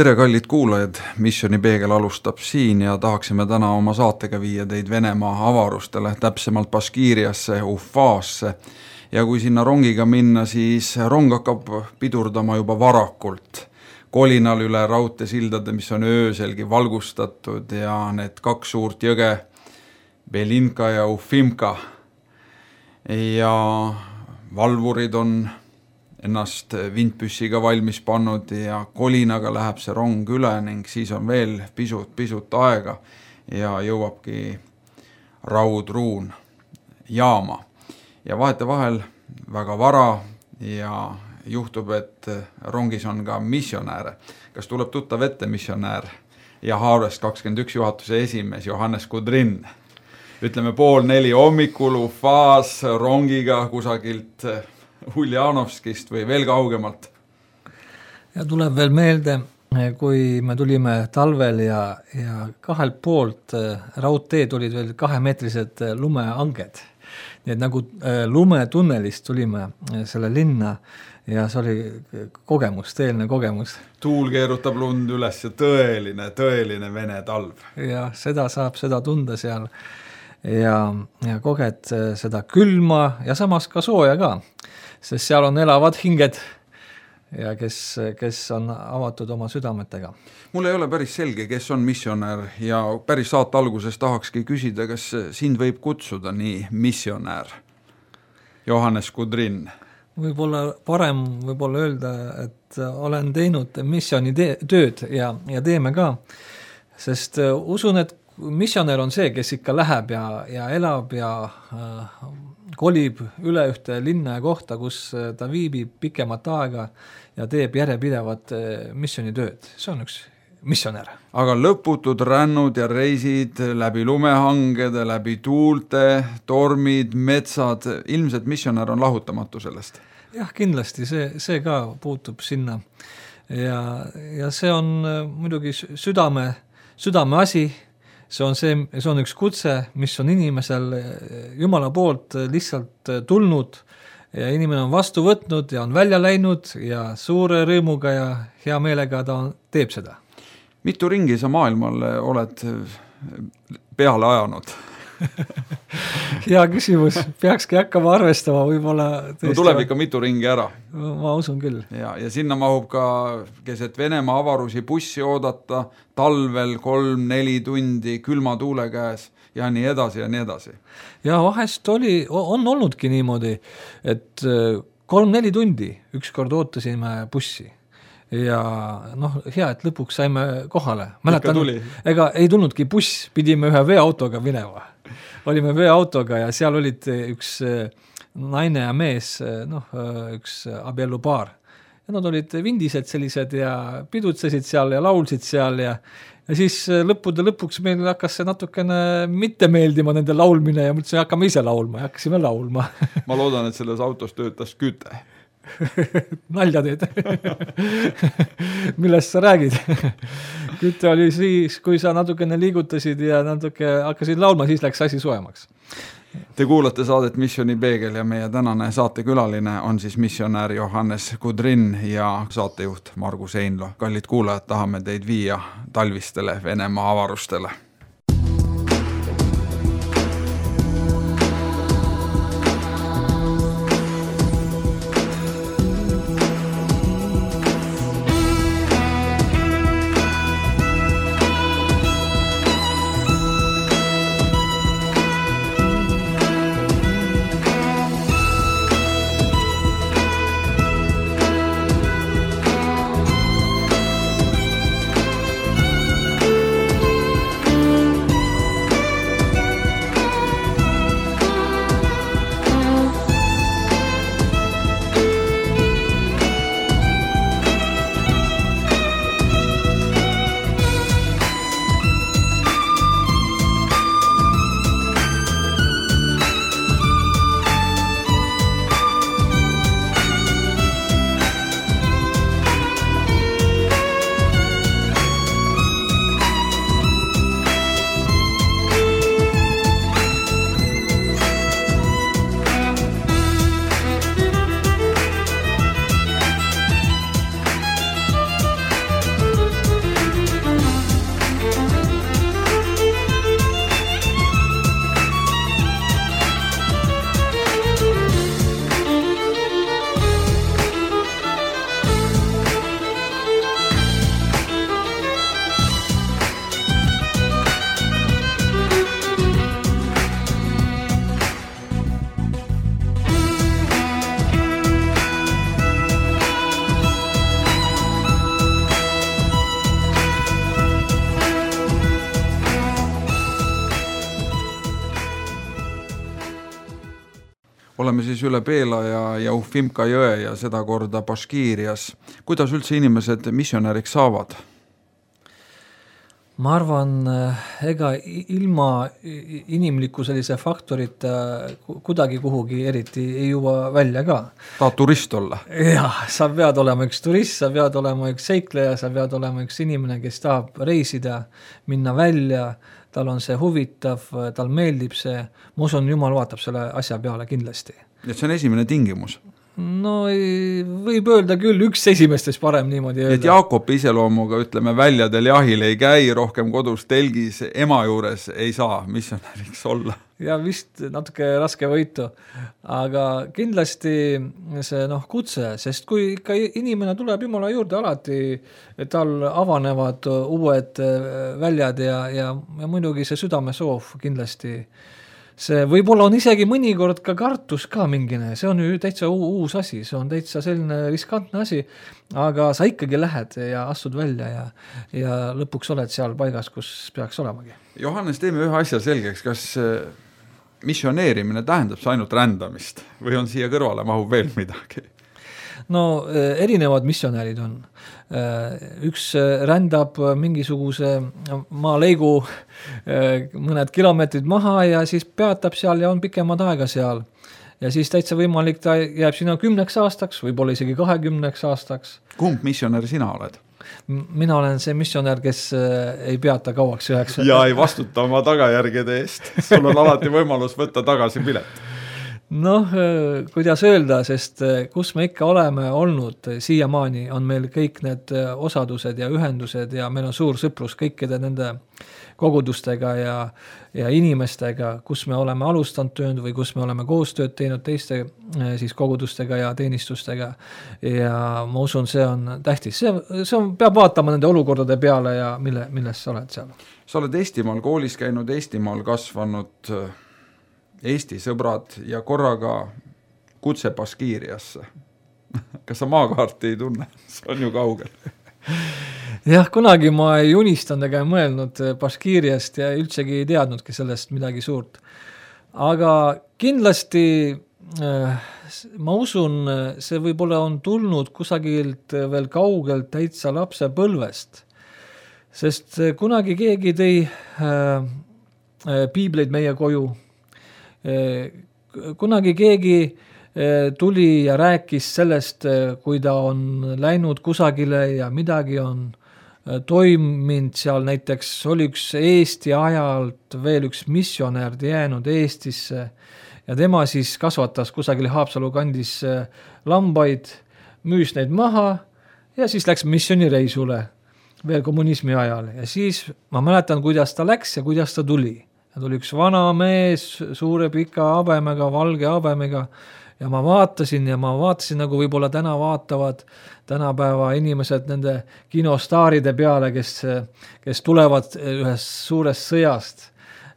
Tere kallid kuulajad, Missioni Peegel alustab siin ja tahaksime täna oma saatega viia teid Venemaa avarustele, täpsemalt Baškiiriasse, Ufaasse. Ja kui sinna rongiga minna, siis rong hakkab pidurdama juba varakult. Kolinal üle raudteesildade, mis on ööselgi valgustatud ja need kaks suurt jõge, Belinka ja Ufimka. Ja valvurid on ennast vindpüssiga valmis pannud ja kolinaga läheb see rong üle ning siis on veel pisut aega ja jõuabki Raudruun jaama. Ja vahetevahel väga vara ja juhtub, et rongis on ka missionääre. Kas tuleb tuttav ette missionäär ja Harvest 21 juhatuse esimees Johannes Kudrin? Ütleme 3:30 hommikul Ufaas rongiga kusagilt Uljanovskist või veel kaugemalt. Ja tuleb veel meelde, kui me tulime talvel ja kahelt poolt raudteed olid veel 2-meetrised lumeanged. Nii et nagu lumetunnelist tulime selle linna ja see oli kogemus, tõeline kogemus. Tuul keerutab lund üles ja tõeline Vene talv. Ja seda saab seda tunda seal ja koged seda külma ja samas ka sooja ka. Sest seal on elavad hinged ja kes on avatud oma südametega. Mul ei ole päris selge, kes on missionär ja päris saate alguses tahakski küsida, kas sind võib kutsuda nii missionär Johannes Kudrin? Võib-olla parem öelda, et olen teinud missiooni tööd ja teeme ka, sest usun, et missionär on see, kes ikka läheb ja elab ja kolib üle ühte linna ja kohta, kus ta viibib pikemat aega ja teeb järjepidevat missioonitööd. See on üks missionär. Aga lõputud rännud ja reisid läbi lumehangede, läbi tuulte, tormid, metsad, ilmselt missionär on lahutamatu sellest. Jah, kindlasti, see ka puutub sinna. Ja see on muidugi südame asi. See on üks kutse, mis on inimesel Jumala poolt lihtsalt tulnud ja inimene on vastu võtnud ja on välja läinud ja suure rõõmuga ja hea meelega ta teeb seda. Mitu ringi sa maailmale oled peale ajanud? Hea küsimus, peakski hakkama arvestama võib-olla. No tuleb ikka mitu ringi ära. Ma usun küll. Ja sinna mahub ka keset Venemaa avarusi bussi oodata, talvel 3-4 tundi külma tuule käes ja nii edasi ja nii edasi. Ja vahest on olnudki niimoodi, et 3-4 tundi ükskord ootasime bussi. Ja hea, et lõpuks saime kohale. Mäletan, ega ei tulnudki buss, pidime ühe veeautoga minema. Olime veeautoga ja seal olid üks naine ja mees, üks abielupaar. Ja nad olid vindised sellised ja pidutsesid seal ja laulsid seal ja siis lõpuks meil hakkas see natukene mitte meeldima nende laulmine ja mõtlesin, hakkame ise laulma ja hakkasime laulma. Ma loodan, et selles autos töötas küte. Nalja teed. Millest sa räägid? Kütte oli siis, kui sa natukene liigutasid ja natuke hakkasid laulma, siis läks asi soemaks. Te kuulate saadet Missioni Peegel ja meie tänane saatekülaline on siis missionär Johannes Kudrin ja saatejuht Margus Einlo. Kallid kuulajad, tahame teid viia talvistele Venemaa avarustele. oleme siis üle Beela ja Ufimka jõe ja seda korda Baškiirias. Kuidas üldse inimesed missionäriks saavad? Ma arvan, ega ilma inimliku sellise faktorita kuidagi kuhugi eriti ei jõua välja ka. Tahad turist olla? Jah, sa pead olema üks turist, sa pead olema üks seikleja, sa pead olema üks inimene, kes tahab reisida, minna välja, tal on see huvitav, tal meeldib see. Ma usun, Jumal vaatab selle asja peale kindlasti. Ja see on esimene tingimus? No võib öelda küll, üks esimestes parem niimoodi öelda. Et Jaakobi iseloomuga, ütleme, väljadel jahil ei käi, rohkem kodus telgis ema juures ei saa missionäriks olla. Ja vist natuke raske võitu, aga kindlasti see kutse, sest kui ikka inimene tuleb Jumala juurde alati, tal avanevad uued väljad ja muidugi see südame soov kindlasti. See võib-olla on isegi mõnikord ka kartus ka mingine, see on ju täitsa uus asi, see on täitsa selline riskantne asi, aga sa ikkagi lähed ja astud välja ja lõpuks oled seal paigas, kus peaks olemagi. Johannes, teeme ühe asja selgeks, kas missioneerimine tähendab see ainult rändamist või on siia kõrvale mahub veel midagi? No erinevad missionärid on. Üks rändab mingisuguse maaleigu mõned kilomeetrid maha ja siis peatab seal ja on pikemad aega seal. Ja siis täitsa võimalik, ta jääb sinna 10 aastaks, võib-olla isegi 20 aastaks. Kumb missionär sina oled? Mina olen see missionär, kes ei peata kauaks üheks. Ja ei vastuta oma tagajärgede eest. Sul on alati võimalus võtta tagasi pilet. Kuidas öelda, sest kus me ikka oleme olnud siiamaani, on meil kõik need osadused ja ühendused ja meil on suur sõprus kõikide nende kogudustega ja inimestega, kus me oleme alustanud tööd või kus me oleme koostööd teinud teiste siis kogudustega ja teenistustega ja ma usun, see on tähtis. See on, peab vaatama nende olukordade peale ja milles sa oled seal. Sa oled Eestimaal koolis käinud, Eestimaal kasvanud Eesti sõbrad ja korraga kutse Baškiiriasse. Kas sa maakaarti ei tunne? See on ju kaugel. Jah, kunagi ma ei unistanud ega mõelnud Baškiiriast ja üldsegi ei teadnudki sellest midagi suurt. Aga kindlasti ma usun, see võib-olla on tulnud kusagilt veel kaugelt täitsa lapse põlvest. Sest kunagi keegi tõi piibleid meie koju. Kunagi keegi tuli ja rääkis sellest, kui ta on läinud kusagile ja midagi on toiminud seal, näiteks oli üks Eesti ajalt veel üks missionär jäänud Eestisse ja tema siis kasvatas kusagil Haapsalu kandis lambaid, müüs neid maha ja siis läks missionireisule veel kommunismi ajal ja siis ma mäletan, kuidas ta läks ja kuidas ta tuli. Ja tuli üks vana mees, suure pika habemega, valge habemega ja ma vaatasin nagu võib-olla täna vaatavad tänapäeva inimesed nende kinostaaride peale, kes tulevad ühest suurest sõjast.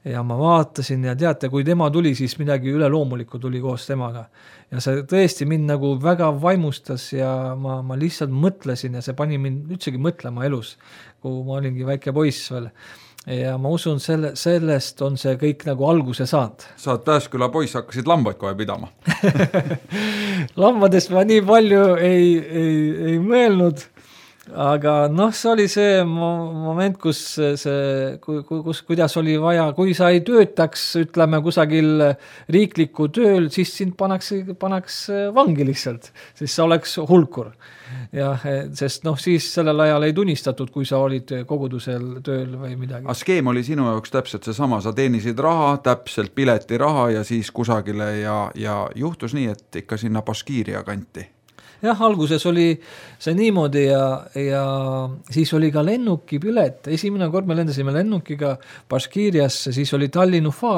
Ja ma vaatasin ja teate, kui tema tuli, siis midagi üleloomulikku tuli koos temaga. Ja see tõesti mind nagu väga vaimustas ja ma lihtsalt mõtlesin ja see pani mind üldsegi mõtlema elus, kui ma olingi väike poiss veel. Ja ma usun, sellest on see kõik nagu alguse saanud. Sa oled Pääsküla poiss, hakkasid lambaid kohe pidama. Lambadest ma nii palju ei mõelnud, aga see oli see moment, kuidas oli vaja, kui sa ei töötaks, ütleme, kusagil riikliku tööl, siis sind panaks vangi lihtsalt, siis sa oleks hulkur. Ja, sest siis sellel ajal ei tunnistatud, kui sa olid kogudusel tööl või midagi. Aga skeem oli sinu jaoks täpselt see sama, sa teenisid raha, täpselt pileti raha ja siis kusagile ja juhtus nii, et ikka sinna Baškiiria kanti. Jah, alguses oli see niimoodi ja siis oli ka lennukipilet. Esimene kord me lendasime lennukiga Baškiiriasse, siis oli Tallinn-Ufa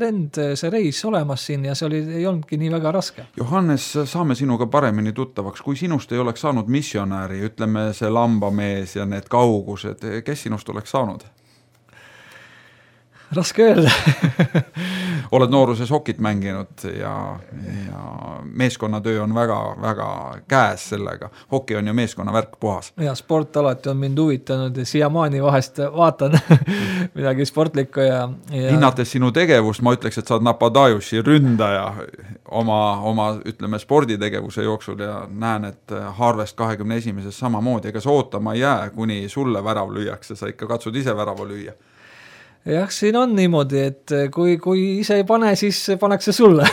lend, see reis olemas siin ja see ei olnudki nii väga raske. Johannes, saame sinuga paremini tuttavaks. Kui sinust ei oleks saanud missionäri, ütleme see lambamees ja need kaugused, kes sinust oleks saanud? Raske öelda. Oled nooruses hokit mänginud ja meeskonnatöö on väga käes sellega. Hoki on ju meeskonna värk puhas. Ja sport alati on mind huvitanud ja siiamaani vahest vaatan midagi sportlikku ja... Hinnates sinu tegevust, ma ütleks, et sa oled Napadajusi ründaja oma ütleme, sporditegevuse jooksul ja näen, et Harvest 21. samamoodi, ega sa ootama ei jää, kuni sulle värav lüüakse, sa ikka katsud ise värava lüüa. Jah, siin on niimoodi, et kui ise ei pane, siis pannakse sulle.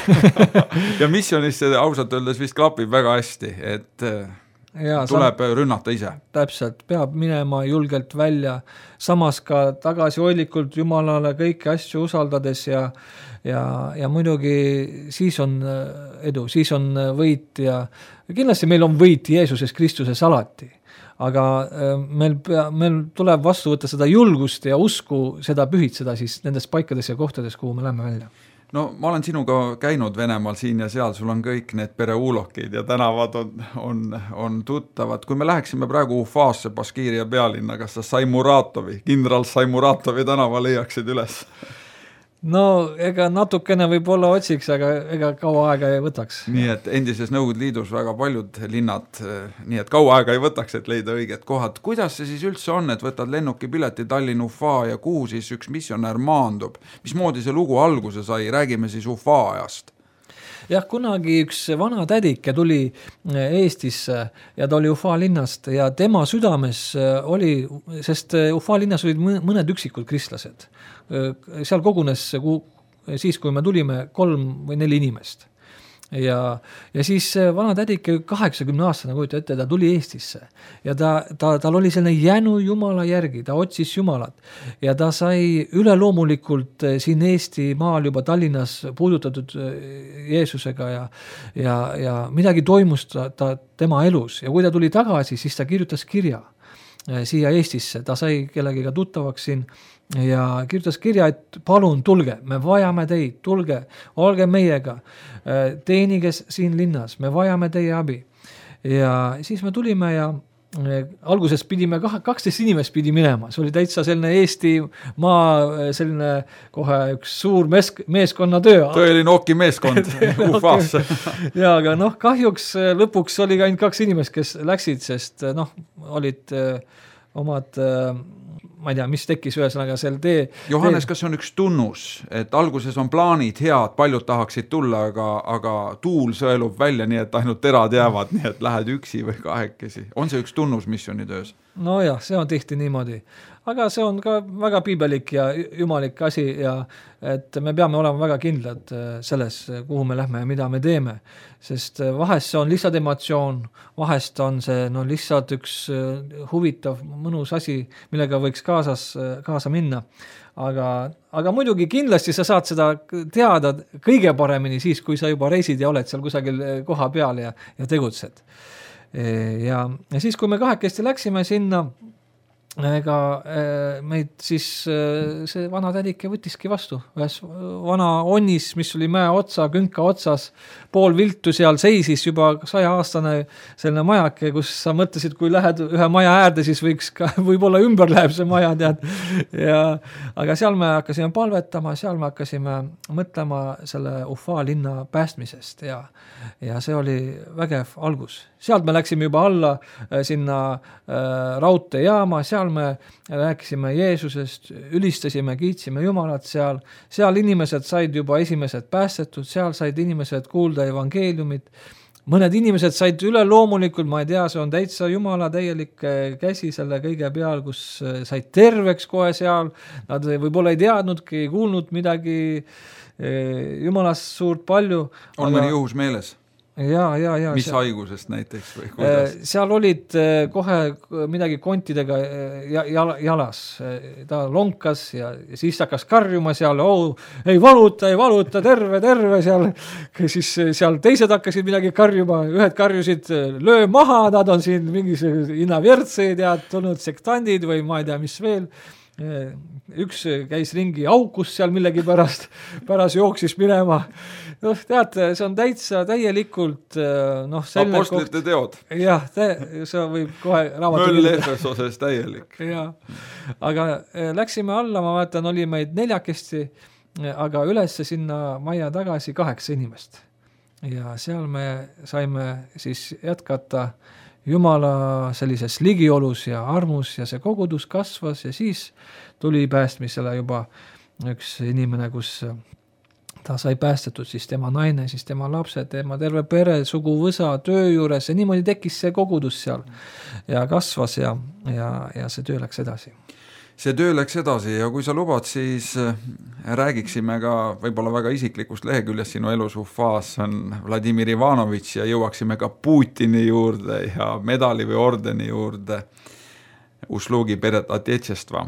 Ja missionis see ausalt öeldes vist klapib väga hästi, et tuleb rünnata ise. Täpselt, peab minema julgelt välja, samas ka tagasihoidlikult Jumalale kõiki asju usaldades ja muidugi siis on edu, siis on võit ja kindlasti meil on võit Jeesuses Kristuses alati. Aga meil tuleb vastu võtta seda julgust ja usku seda pühitseda siis nendes paikades ja kohtades, kuhu me läheme välja. No ma olen sinuga käinud Venemaal siin ja seal, sul on kõik need pereulokid ja tänavad on tuttavad. Kui me läheksime praegu Ufaasse, Baskiiria pealinna, kas sa Saimuratovi, kindral Saimuratovi tänava leiaksid üles? No ega natukene võib-olla otsiks, aga ega kaua aega ei võtaks. Nii et endises Nõukogude Liidus väga paljud linnad, nii et kaua aega ei võtaks, et leida õiged kohad. Kuidas see siis üldse on, et võtad lennukipileti Tallinn Ufaa ja kuhu siis üks missionär maandub? Mismoodi see lugu alguse sai? Räägime siis Ufaa ajast. Jah, kunagi üks vana tädike tuli Eestisse ja ta oli Ufaa linnast ja tema südames oli, sest Ufaa linnas olid mõned üksikud kristlased. Seal kogunes siis, kui me tulime 3 või 4 inimest. Ja siis vana tädike 80 aastane kujuta ette, ta tuli Eestisse ja tal oli selline jänu Jumala järgi, ta otsis Jumalat ja ta sai üleloomulikult siin Eesti maal juba Tallinnas puudutatud Jeesusega ja midagi toimus tema elus ja kui ta tuli tagasi, siis ta kirjutas kirja siia Eestisse, ta sai kellegiga tuttavaks siin ja kirjutas kirja, et palun tulge, me vajame teid, tulge, olge meiega, teenige siin linnas, me vajame teie abi. Ja siis me tulime ja alguses pidime 12 inimest pidi minema, see oli täitsa selline Eesti maa selline kohe üks suur meeskonnatöö. Tõeline Oki meeskond Ufaasse. Ja aga kahjuks lõpuks oli ka ainult 2 inimest, kes läksid, sest olid omad ma ei tea, mis tekkis ühesõnaga seal tee. Johannes, kas on üks tunnus, et alguses on plaanid head, paljud tahaksid tulla, aga tuul sõelub välja, nii et ainult terad jäävad, nii et lähed üksi või kahekesi. On see üks tunnus missionitöös? No jah, see on tihti niimoodi. Aga see on ka väga piibelik ja jumalik asi ja et me peame olema väga kindlad selles, kuhu me lähme ja mida me teeme. Sest vahest see on lihtsalt emotsioon, vahest on see lihtsalt üks huvitav, mõnus asi, millega võiks kaasa minna. Aga muidugi kindlasti sa saad seda teada kõige paremini siis, kui sa juba reisid ja oled seal kusagil koha peal ja tegutsed. Ja siis, kui me 2 läksime sinna, ega meid siis see vana tädike võttiski vastu. Ühes vana onnis, mis oli mäe otsa, künka otsas, pool viltu seal seisis juba 100-aastane selline majake, kus sa mõtlesid, kui lähed ühe maja äärde, siis võiks ka, võib-olla ümber läheb see maja, tead. Aga seal me hakkasime palvetama, seal me hakkasime mõtlema selle Ufaa linna päästmisest ja see oli vägev algus. Sealt me läksime juba alla sinna raudteejaama, seal me rääkisime Jeesusest, ülistasime, kiitsime Jumalat seal. Seal inimesed said juba esimesed päästetud, seal said inimesed kuulda evangeeliumit. Mõned inimesed said üle loomulikult, ma ei tea, see on täitsa Jumala täielik käsi selle kõige peal, kus said terveks kohe seal. Nad võib-olla ei teadnudki, ei kuulnud midagi Jumalast suurt palju. On mõni juhus meeles? Ja, mis haigusest näiteks või kuidas? Seal olid kohe midagi kontidega jalas. Ta lonkas ja siis hakkas karjuma seal, ei valuta, terve seal. Siis seal teised hakkasid midagi karjuma, ühed karjusid, löö maha, nad on siin mingis inavjertseid ja tulnud sektandid või ma ei tea, mis veel. üks käis ringi aukus seal millegi pärast jooksis minema. Noh, teate, see on täielikult apostlite teod. Jah, see võib kohe raamatu Möll Efesoses täielik. Ja. Aga läksime alla, ma vaatan, oli meid 4, aga ülesse sinna majja tagasi 8 inimest. Ja seal me saime siis jätkata Jumala sellises ligiolus ja armus ja see kogudus kasvas ja siis tuli päästmisele juba üks inimene, kus ta sai päästetud, siis tema naine, siis tema lapsed, tema terve pere, suguvõsa, töö juures ja niimoodi tekkis see kogudus seal ja kasvas ja see töö läks edasi. See töö läks edasi ja kui sa lubad, siis räägiksime ka võib-olla väga isiklikust leheküljest sinu elus Ufaas on Vladimir Ivanovitš ja jõuaksime ka Putini juurde ja medali või ordeni juurde Uslugi peret Atjechestva.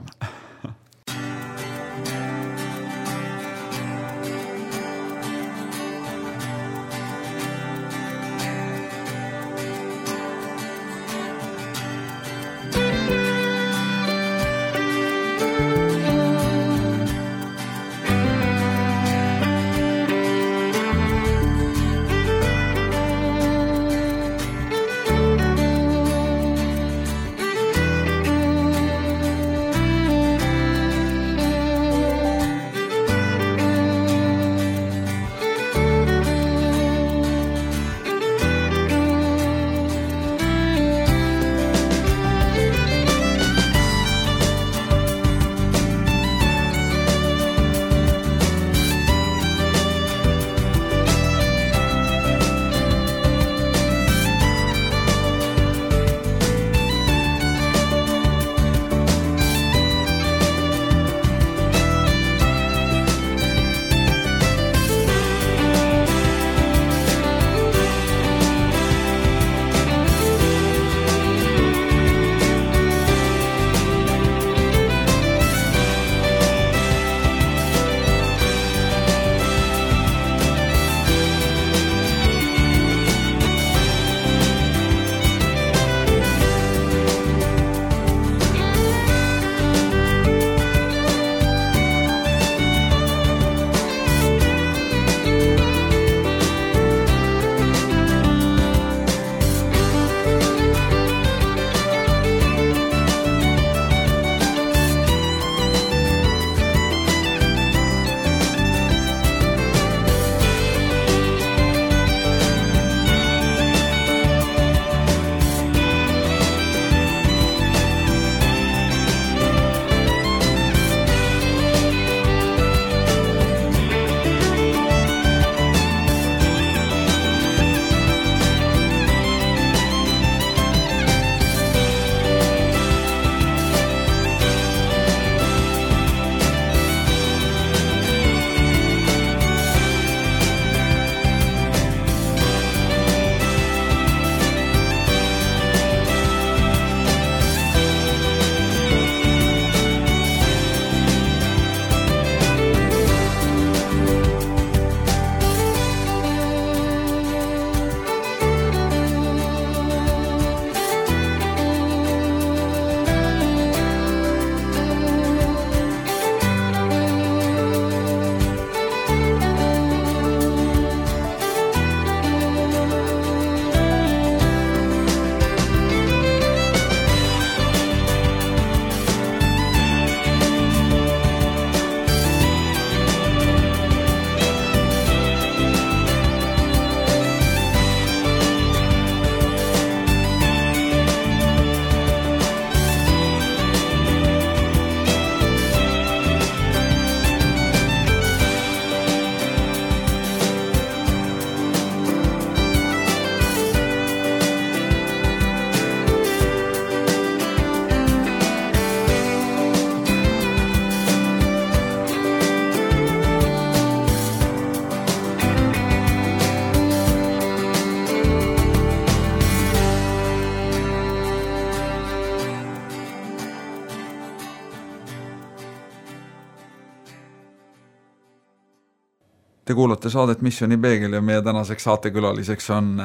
Te kuulate saadet Missioni peegel ja meie tänaseks saatekülaliseks on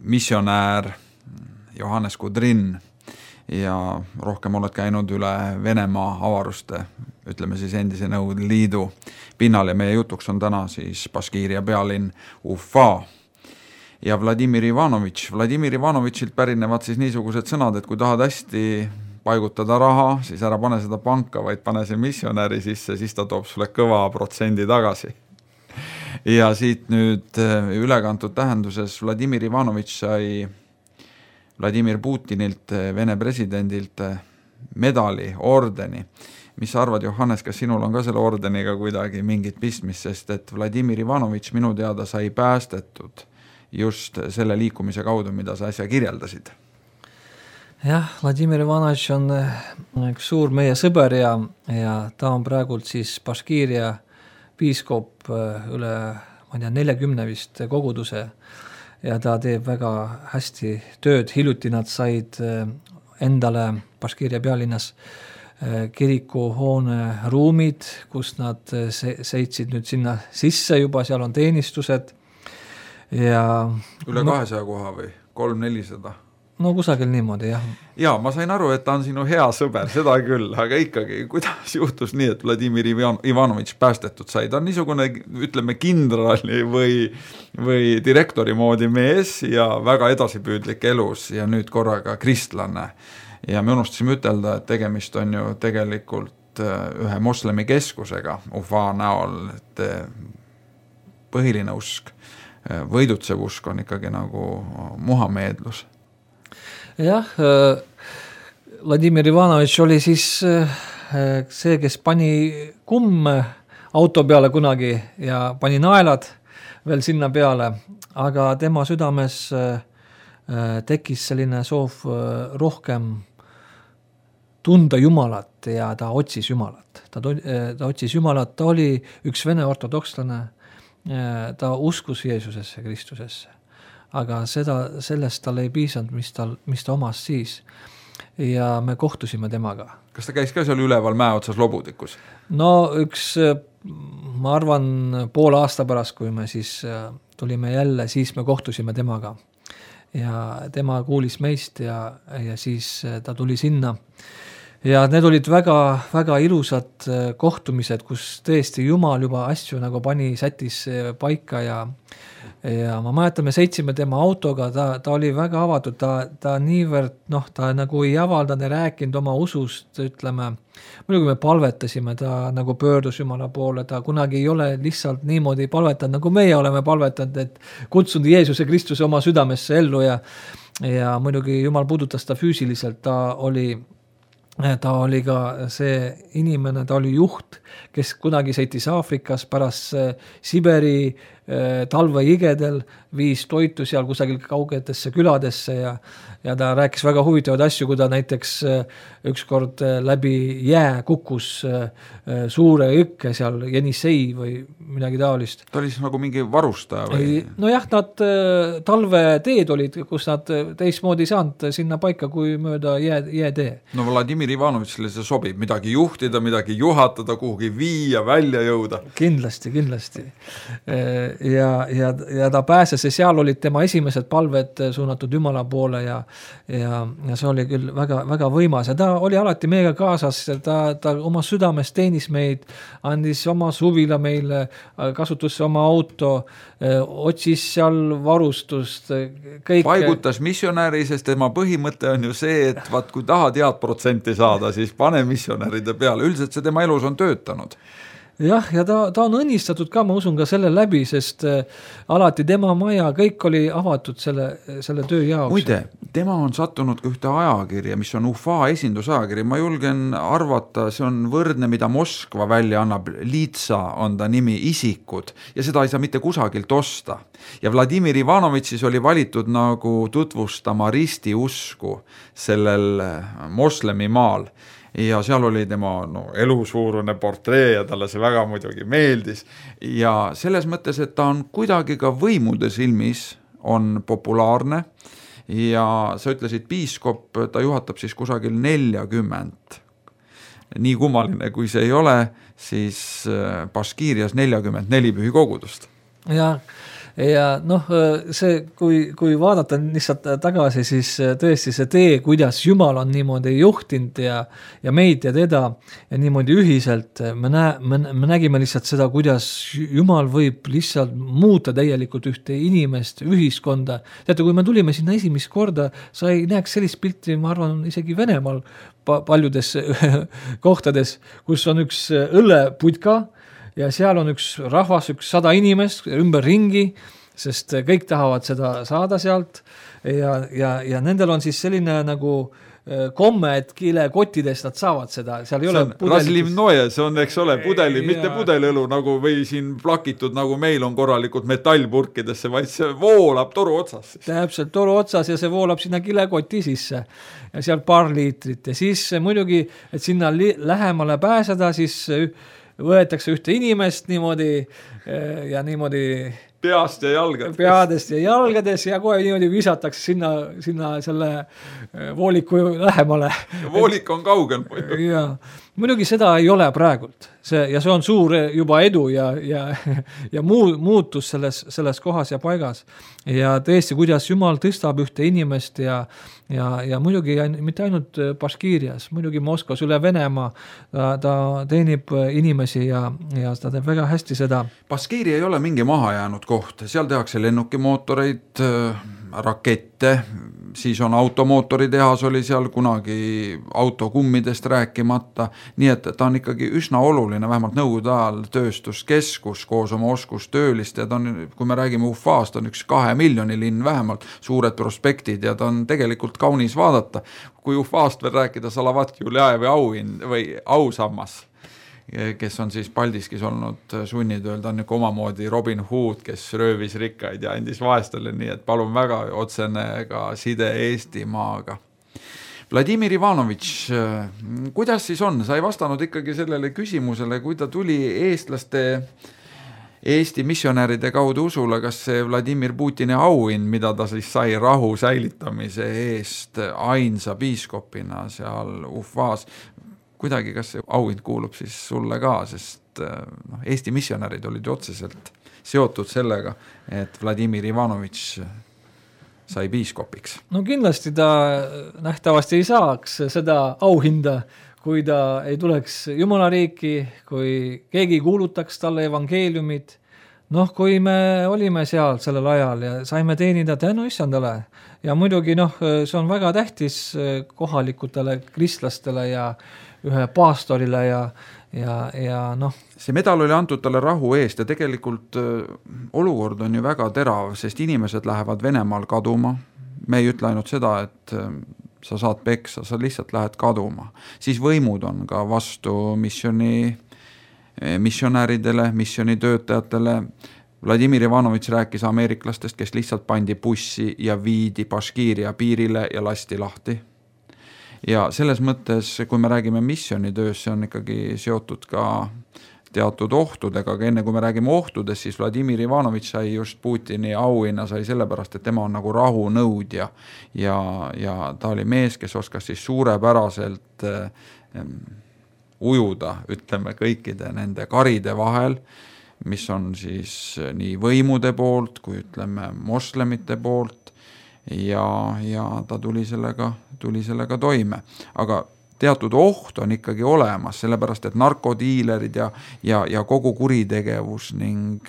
missionäär Johannes Kudrin. ja rohkem oled käinud üle Venemaa avaruste, ütleme siis endise Nõukogude Liidu pinnal ja meie jutuks on täna siis Baškiiria pealinn Ufa. Ja Vladimir Ivanovitšilt pärinevad siis niisugused sõnad, et kui tahad hästi paigutada raha, siis ära pane seda panka, vaid pane see missionäri sisse, siis ta toob sulle kõva protsendi tagasi. Ja siit nüüd ülekantud tähenduses Vladimir Ivanovitš sai Vladimir Putinilt, Vene presidendilt medali, ordeni. Mis sa arvad, Johannes, kas sinul on ka selle ordeniga kuidagi mingit pistmist, sest et Vladimir Ivanovitš minu teada sai päästetud just selle liikumise kaudu, mida sa äsja kirjeldasid? Jah, Vladimir Ivanovitš on üks suur meie sõber ja ta on praegult siis Baškiiria piiskop üle 40 vist koguduse ja ta teeb väga hästi tööd. Hiljuti nad said endale Baškiiria pealinnas kirikuhoone ruumid, kus nad seitsid nüüd sinna sisse juba, seal on teenistused. Ja üle 200 koha või 300-400? No kusagil niimoodi, jah. Ja, ma sain aru, et ta on sinu hea sõber, seda küll, aga ikkagi, kuidas juhtus nii, et Vladimir Ivanovitš päästetud sai? Ta on niisugune, ütleme, kindrali või direktori moodi mees ja väga edasipüüdlik elus ja nüüd korraga kristlane. Ja me unustasime ütelda, et tegemist on ju tegelikult ühe moslemi keskusega Ufa näol, et põhiline usk, võidutsev usk on ikkagi nagu muhameedlus. Jah, Vladimir Ivanovitš oli siis see, kes pani kumm auto peale kunagi ja pani naelad veel sinna peale, aga tema südames tekkis selline soov rohkem tunda Jumalat ja ta otsis Jumalat. Ta otsis Jumalat, ta oli üks vene ortodokslane, ta uskus Jeesusesse, Kristusesse. Aga sellest tal ei piisanud, mis ta omas siis. Ja me kohtusime temaga. Kas ta käis ka seal üleval mäe otsas Lobudikus? No ma arvan poole aasta pärast, kui me siis tulime jälle, siis me kohtusime temaga. Ja tema kuulis meist ja siis ta tuli sinna. Ja need olid väga, väga ilusad kohtumised, kus tõesti Jumal juba asju nagu pani sätis paika ja ma mäletan, me seitsime tema autoga, ta oli väga avatud, ta niivõrd, ta nagu ei avaldanud ja rääkinud oma usust, ütleme, muidugi me palvetasime, ta nagu pöördus Jumala poole, ta kunagi ei ole lihtsalt niimoodi palvetanud, nagu meie oleme palvetanud, et kutsunud Jeesuse Kristuse oma südamesse ellu ja muidugi Jumal puudutas ta füüsiliselt, ta oli ka see inimene, ta oli juht, kes kunagi sõitis Aafrikas pärast Siberi talveigedel, viis toitu seal kusagil kaugetesse küladesse ja ta rääkis väga huvitavaid asju, kui ta näiteks ükskord läbi jää kukkus suure jõkke seal Jenisei või midagi taolist. Ta oli siis nagu mingi varustaja või? No jah, nad talveteed olid, kus nad teistmoodi saanud sinna paika kui mööda jäätee. No Vladimir Ivanovitšile see sobib, midagi juhtida, midagi juhatada, kuhugi viia, välja jõuda. Kindlasti. Ja ta pääses ja seal olid tema esimesed palved suunatud Jumala poole ja see oli küll väga, väga võimas ja ta oli alati meiega kaasas, ta oma südames teenis meid, andis oma suvila meile, kasutusse oma auto, otsis seal varustust, kõik. Paigutas missionäri, sest tema põhimõte on ju see, et kui tahad head protsenti saada, siis pane missionäride peale, üldiselt see tema elus on töötanud. Jah, ja ta on õnnistatud ka, ma usun ka selle läbi, sest alati tema maja, kõik oli avatud selle töö jaoks. Muide, tema on sattunud ka ühte ajakirja, mis on Ufa esindusajakiri, ma julgen arvata, see on võrdne, mida Moskva välja annab, Litsa on ta nimi, isikud, ja seda ei saa mitte kusagilt osta. Ja Vladimir Ivanovitšis oli valitud nagu tutvustama ristiusku sellel moslemi maal. Ja seal oli tema elusuurune portree ja talle see väga muidugi meeldis. Ja selles mõttes, et ta on kuidagi ka võimude silmis on populaarne ja sa ütlesid piiskop, ta juhatab siis kusagil 40. Nii kummaline, kui see ei ole, siis Baškiirias 44 pühikogudust. Ja ja noh, see, kui vaadata lihtsalt tagasi, siis tõesti see tee, kuidas Jumal on niimoodi juhtinud ja meid ja teda ja niimoodi ühiselt, me nägime lihtsalt seda, kuidas Jumal võib lihtsalt muuta täielikult ühte inimest, ühiskonda. Teate, kui me tulime sinna esimest korda, sa ei näeks sellist pilti, ma arvan, isegi Venemaal paljudes kohtades, kus on üks õlleputka, ja seal on üks rahvas, 100 inimest ümber ringi, sest kõik tahavad seda saada sealt ja nendel on siis selline nagu komme, et kilekottidest nad saavad seda, seal ei ole Razlivnoje, see on, eks ole, pudeli, mitte pudelõlu nagu või siin plakitud, nagu meil on korralikult metallpurkidesse, vaid see voolab toru otsas. Täpselt, toru otsas ja see voolab sinna kilekoti sisse ja seal paar liitrit ja siis muidugi, et sinna lähemale pääseda, siis võetakse ühte inimest niimoodi ja niimoodi peast ja jalgades. Peadest ja jalgades ja kohe niimoodi visatakse sinna selle vooliku lähemale. Voolik on kaugel. Ja muidugi seda ei ole praegult. See on suur juba edu ja muutus selles kohas ja paigas. Ja tõesti, kuidas Jumal tõstab ühte inimest ja muidugi mitte ainult Baškiirias, muidugi Moskvas üle Venemaa, ta teenib inimesi ja ta teeb väga hästi seda. Baškiiri ei ole mingi maha jäänud koht, seal tehakse lennukimootoreid, rakette, siis on automootoritehas oli seal kunagi autokummidest rääkimata, nii et ta on ikkagi üsna oluline, vähemalt nõukogude ajal tööstuskeskus koos oma oskustöölist ja ta on, kui me räägime Ufast, on üks 2 miljoni linn vähemalt, suured prospektid ja ta on tegelikult kaunis vaadata. Kui Ufast veel rääkida Salavat Juljaevi või ausammas, kes on siis Paldiskis olnud sunnitööl, ta on niisugune omamoodi Robin Hood, kes röövis rikkaid ja andis vaestele, nii et palun väga otsene ka side Eestimaaga. Vladimir Ivanovitš, kuidas siis on? Sa ei vastanud ikkagi sellele küsimusele, kui ta tuli eestlaste Eesti missionäride kaudu usule, kas see Vladimir Putini auhind, mida ta siis sai rahu säilitamise eest ainsa piiskopina seal Ufas, kuidagi, kas see auhind kuulub siis sulle ka, sest Eesti missionärid olid otseselt seotud sellega, et Vladimir Ivanovitš sai piiskopiks. No kindlasti ta nähtavasti ei saaks seda auhinda, kui ta ei tuleks Jumala riiki, kui keegi kuulutaks talle evangeeliumit. Noh, kui me olime seal sellel ajal ja saime teenida tänu issandale ja muidugi see on väga tähtis kohalikutele kristlastele ja ühe paastorile ja noh. See medal oli antud talle rahu eest ja tegelikult olukord on ju väga terav, sest inimesed lähevad Venemaal kaduma. Me ei ütle ainult seda, et sa saad peksa, sa lihtsalt lähed kaduma. Siis võimud on ka vastu missionäridele, missionitöötajatele. Vladimir Ivanovitš rääkis ameeriklastest, kes lihtsalt pandi bussi ja viidi Baškiiria piirile ja lasti lahti. Ja selles mõttes, kui me räägime missionitöös, see on ikkagi seotud ka teatud ohtudega, aga enne kui me räägime ohtudest, siis Vladimir Ivanovitš sai just Putini auhinna sai sellepärast, et tema on nagu rahunõudja ja ta oli mees, kes oskas siis suurepäraselt ujuda, ütleme, kõikide nende karide vahel, mis on siis nii võimude poolt kui ütleme moslemite poolt ja ta tuli sellega toime. Aga teatud oht on ikkagi olemas, sellepärast et narkodiilerid ja kogu kuritegevus ning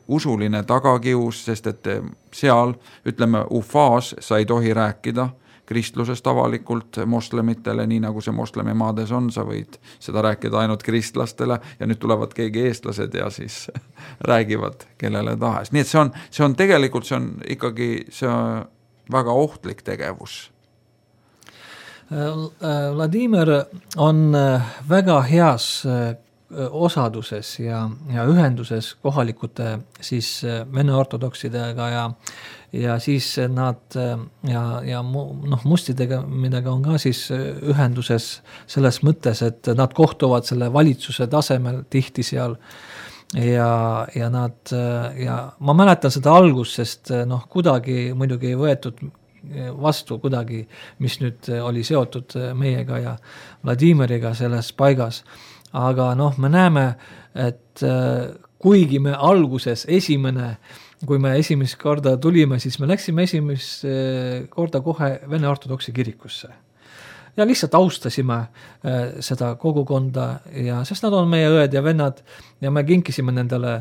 usuline tagakius, sest et seal, ütleme, Ufas sa ei tohi rääkida kristlusest avalikult moslemitele, nii nagu see moslemimaades on, sa võid seda rääkida ainult kristlastele ja nüüd tulevad keegi eestlased ja siis räägivad kellele tahes. Nii et see on tegelikult, see on ikkagi see väga ohtlik tegevus. Vladimir on väga heas osaduses ja ühenduses kohalikute siis vene ortodoksidega ja siis nad ja mustidega, midagi on ka siis ühenduses selles mõttes, et nad kohtuvad selle valitsuse tasemel tihti seal ja ma mäletan seda algust, sest kuidagi muidugi ei võetud vastu kuidagi, mis nüüd oli seotud meiega ja Vladimiriga selles paigas. Aga me näeme, et kuigi me alguses esimene kui me esimest korda tulime, siis me läksime esimest korda kohe Vene ortodoksi kirikusse. Ja lihtsalt austasime seda kogukonda, ja sest nad on meie õed ja vennad, ja me kinkisime nendele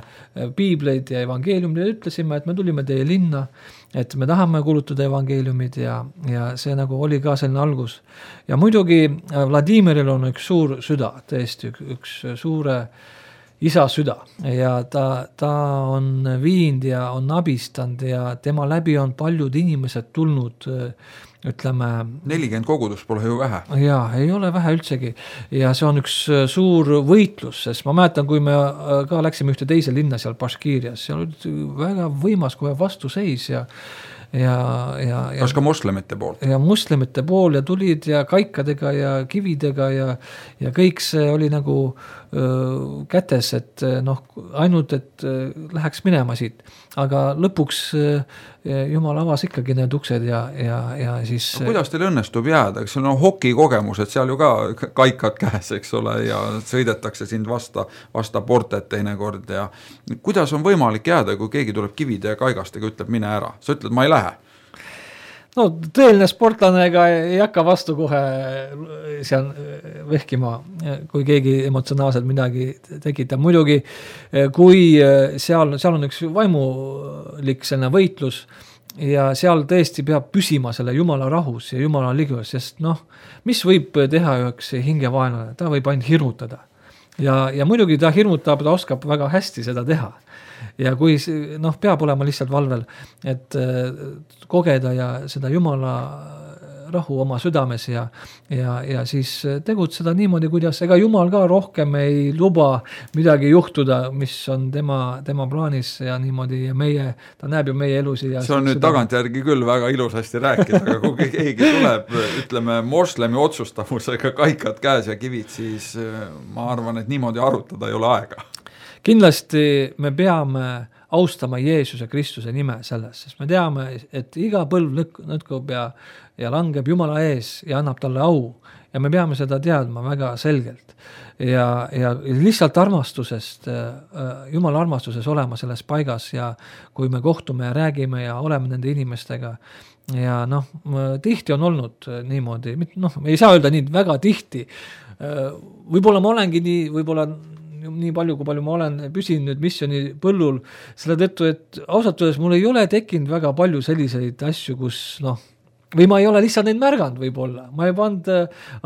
piibleid ja evangeeliumid ja ütlesime, et me tulime teie linna, et me tahame kuulutada evangeeliumid, ja see nagu oli ka selline algus. Ja muidugi Vladimiril on üks suur süda, tõesti üks suure isa süda, ja ta on viinud ja on abistanud ja tema läbi on paljud inimesed tulnud, ütleme 40 kogudus pole ju vähe. Jaa, ei ole vähe üldsegi, ja see on üks suur võitlus, sest ma mäletan, kui me ka läksime ühte teise linna seal Baškiirias, seal oli väga võimas kohe vastuseis ja kas ka moslemite pool? Ja moslemite pool ja tulid ja kaikadega ja kividega ja kõik see oli nagu kätes, et ainult, et läheks minema siit. Aga lõpuks Jumal avas ikkagi need uksed ja siis... No, kuidas teil õnnestub jääda? Eks see on hokikogemus, et seal ju ka kaikad käes, eks ole, ja sõidetakse sind vasta portet teinekord ja kuidas on võimalik jääda, kui keegi tuleb kivide ja kaigastega, ütleb mine ära? Sa ütled, ma ei lähe. No tõeline sportlane ega ei hakka vastu kohe seal vehkima, kui keegi emotsionaalselt midagi tekitab. Muidugi, kui seal on üks vaimulik selline võitlus ja seal tõesti peab püsima selle Jumala rahus ja Jumala ligus, sest mis võib teha üks hingevaenlane? Ta võib ainult hirmutada. Ja muidugi ta hirmutab, ta oskab väga hästi seda teha. Ja kui peab olema lihtsalt valvel, et kogeda ja seda Jumala rahu oma südames ja siis tegutseda niimoodi, kuidas ega Jumal ka rohkem ei luba midagi juhtuda, mis on tema plaanis ja niimoodi ja ta näeb ju meie elusi. Ja see on nüüd tagantjärgi küll väga ilusasti rääkida, aga kui keegi tuleb, ütleme, moslemi otsustavusega kaikad käes ja kivid, siis ma arvan, et niimoodi arutada ei ole aega. Kindlasti me peame austama Jeesuse Kristuse nime selles, sest me teame, et iga põlv nõtkub ja langeb Jumala ees ja annab talle au ja me peame seda teadma väga selgelt ja lihtsalt armastusest, Jumala armastuses olema selles paigas ja kui me kohtume ja räägime ja oleme nende inimestega ja tihti on olnud niimoodi, ei saa öelda nii väga tihti, võib-olla ma olengi nii palju, kui palju ma olen püsinud nüüd missiooni põllul, selle tõttu, et ausalt öeldes mul ei ole tekkinud väga palju selliseid asju, kus või ma ei ole lihtsalt neid märganud võib-olla. Ma ei pannud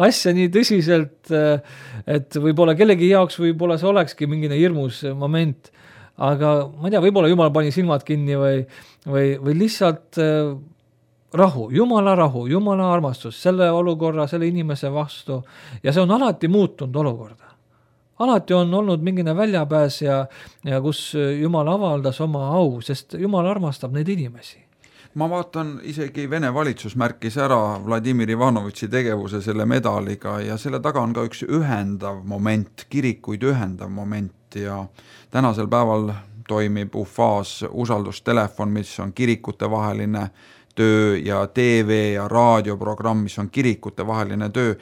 asja nii tõsiselt, et võib-olla kellegi jaoks võib-olla see olekski mingine hirmus moment, aga ma ei tea, võib-olla Jumal pani silmad kinni või lihtsalt rahu, Jumala armastus, selle olukorra, selle inimese vastu ja see on alati muutunud olukorda. Alati on olnud mingine väljapääs ja kus Jumal avaldas oma au, sest Jumal armastab neid inimesi. Ma vaatan, isegi Vene valitsus märkis ära Vladimir Ivanovitši tegevuse selle medaliga ja selle taga on ka üks ühendav moment, kirikuid ühendav moment ja tänasel päeval toimib UFA-s usaldustelefon, mis on kirikute vaheline töö ja TV ja raadioprogramm, mis on kirikute vaheline töö.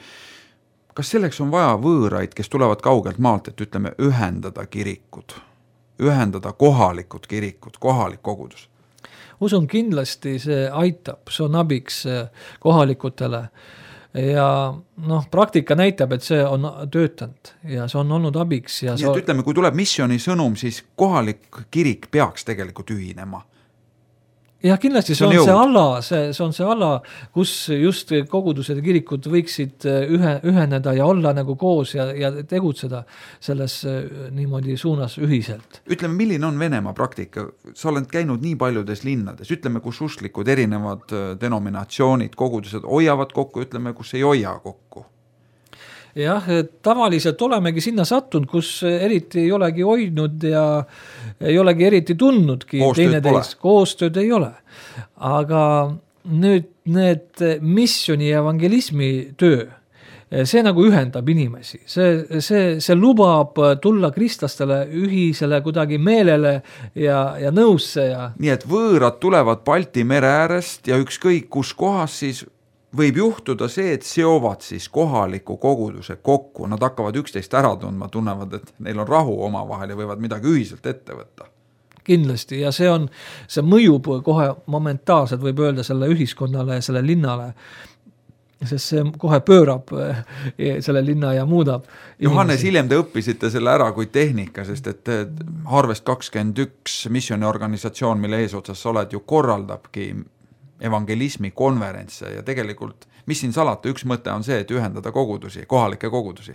Kas selleks on vaja võõraid, kes tulevad kaugelt maalt, et ütleme ühendada kirikud, ühendada kohalikud kirikud, kohalik kogudus? Usun kindlasti see aitab, see on abiks kohalikutele ja praktika näitab, et see on töötanud ja see on olnud abiks. Ja nii, et ütleme, kui tuleb missiooni sõnum, siis kohalik kirik peaks tegelikult ühinema. Ja kindlasti see on see ala, kus just kogudused ja kirikud võiksid üheneda ja olla nagu koos ja tegutseda selles niimoodi suunas ühiselt. Ütleme, milline on Venemaa praktika? Sa oled käinud nii paljudes linnades, ütleme, kus usklikud erinevad denominatsioonid, kogudused hoiavad kokku, ütleme, kus ei hoia kokku. Jah, tavaliselt olemegi sinna sattunud, kus eriti ei olegi hoidnud ja ei olegi eriti tundnudki koostööd ei ole. Aga nüüd need missioni ja evangelismi töö, see nagu ühendab inimesi. See lubab tulla kristlastele ühisele kuidagi meelele ja nõusse. Nii et võõrad tulevad Balti mere äärest ja ükskõik kus kohas siis võib juhtuda see, et seovad siis kohaliku koguduse kokku. Nad hakkavad üksteist ära tundma, tunnevad, et neil on rahu omavahel ja võivad midagi ühiselt ette võtta. kindlasti ja see mõjub kohe momentaalselt, võib öelda selle ühiskonnale ja selle linnale, sest see kohe pöörab selle linna ja muudab. Johannes, hiljem te õppisite selle ära kui tehnika, sest et Harvest 21 missioniorganisatsioon, mille eesotsas sa oled, ju korraldabki evangelismi konverentse ja tegelikult, mis siin salata, üks mõte on see, et ühendada kogudusi, kohalikke kogudusi.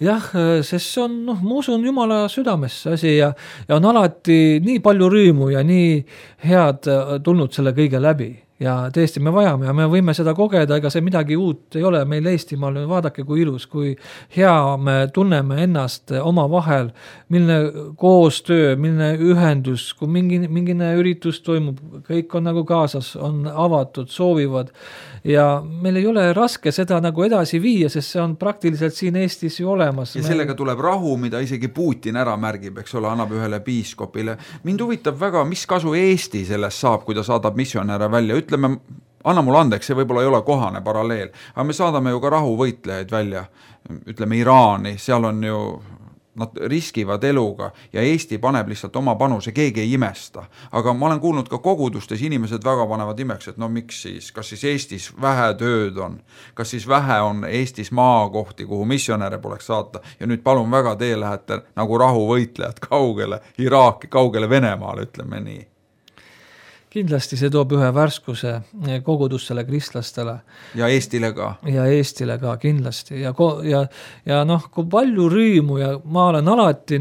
Jah, sest see on, ma usun Jumala südamesse asi ja on alati nii palju rõõmu ja nii head tulnud selle kõige läbi. Ja tõesti me vajame ja me võime seda kogeda, ega see midagi uut ei ole meil Eestimaal, vaadake kui ilus, kui hea me tunneme ennast oma vahel, milline koostöö, milline ühendus, kui mingine üritus toimub, kõik on nagu kaasas, on avatud, soovivad ja meil ei ole raske seda nagu edasi viia, sest see on praktiliselt siin Eestis ju olemas. Ja sellega tuleb rahu, mida isegi Putin ära märgib, eks ole, annab ühele piiskopile. Mind huvitab väga, mis kasu Eesti sellest saab, kui ta saadab missionäre välja, ütleme, anna mulle andeks, see võib-olla ei ole kohane paralleel, aga me saadame ju ka rahuvõitlejaid välja, ütleme Iraani, seal on ju, nad riskivad eluga ja Eesti paneb lihtsalt oma panuse, keegi ei imesta. Aga ma olen kuulnud ka kogudustes, inimesed väga panevad imeks, et no miks siis, kas siis Eestis vähe tööd on, kas siis vähe on Eestis maakohti, kuhu missionäre poleks saata ja nüüd palun väga, te lähete nagu rahuvõitlejad kaugele Iraaki, kaugele Venemaale, ütleme nii. Kindlasti see toob ühe värskuse kogudustele, kristlastele. Ja Eestile ka. Ja Eestile ka, kindlasti. Ja kui palju rõõmu ja ma olen alati,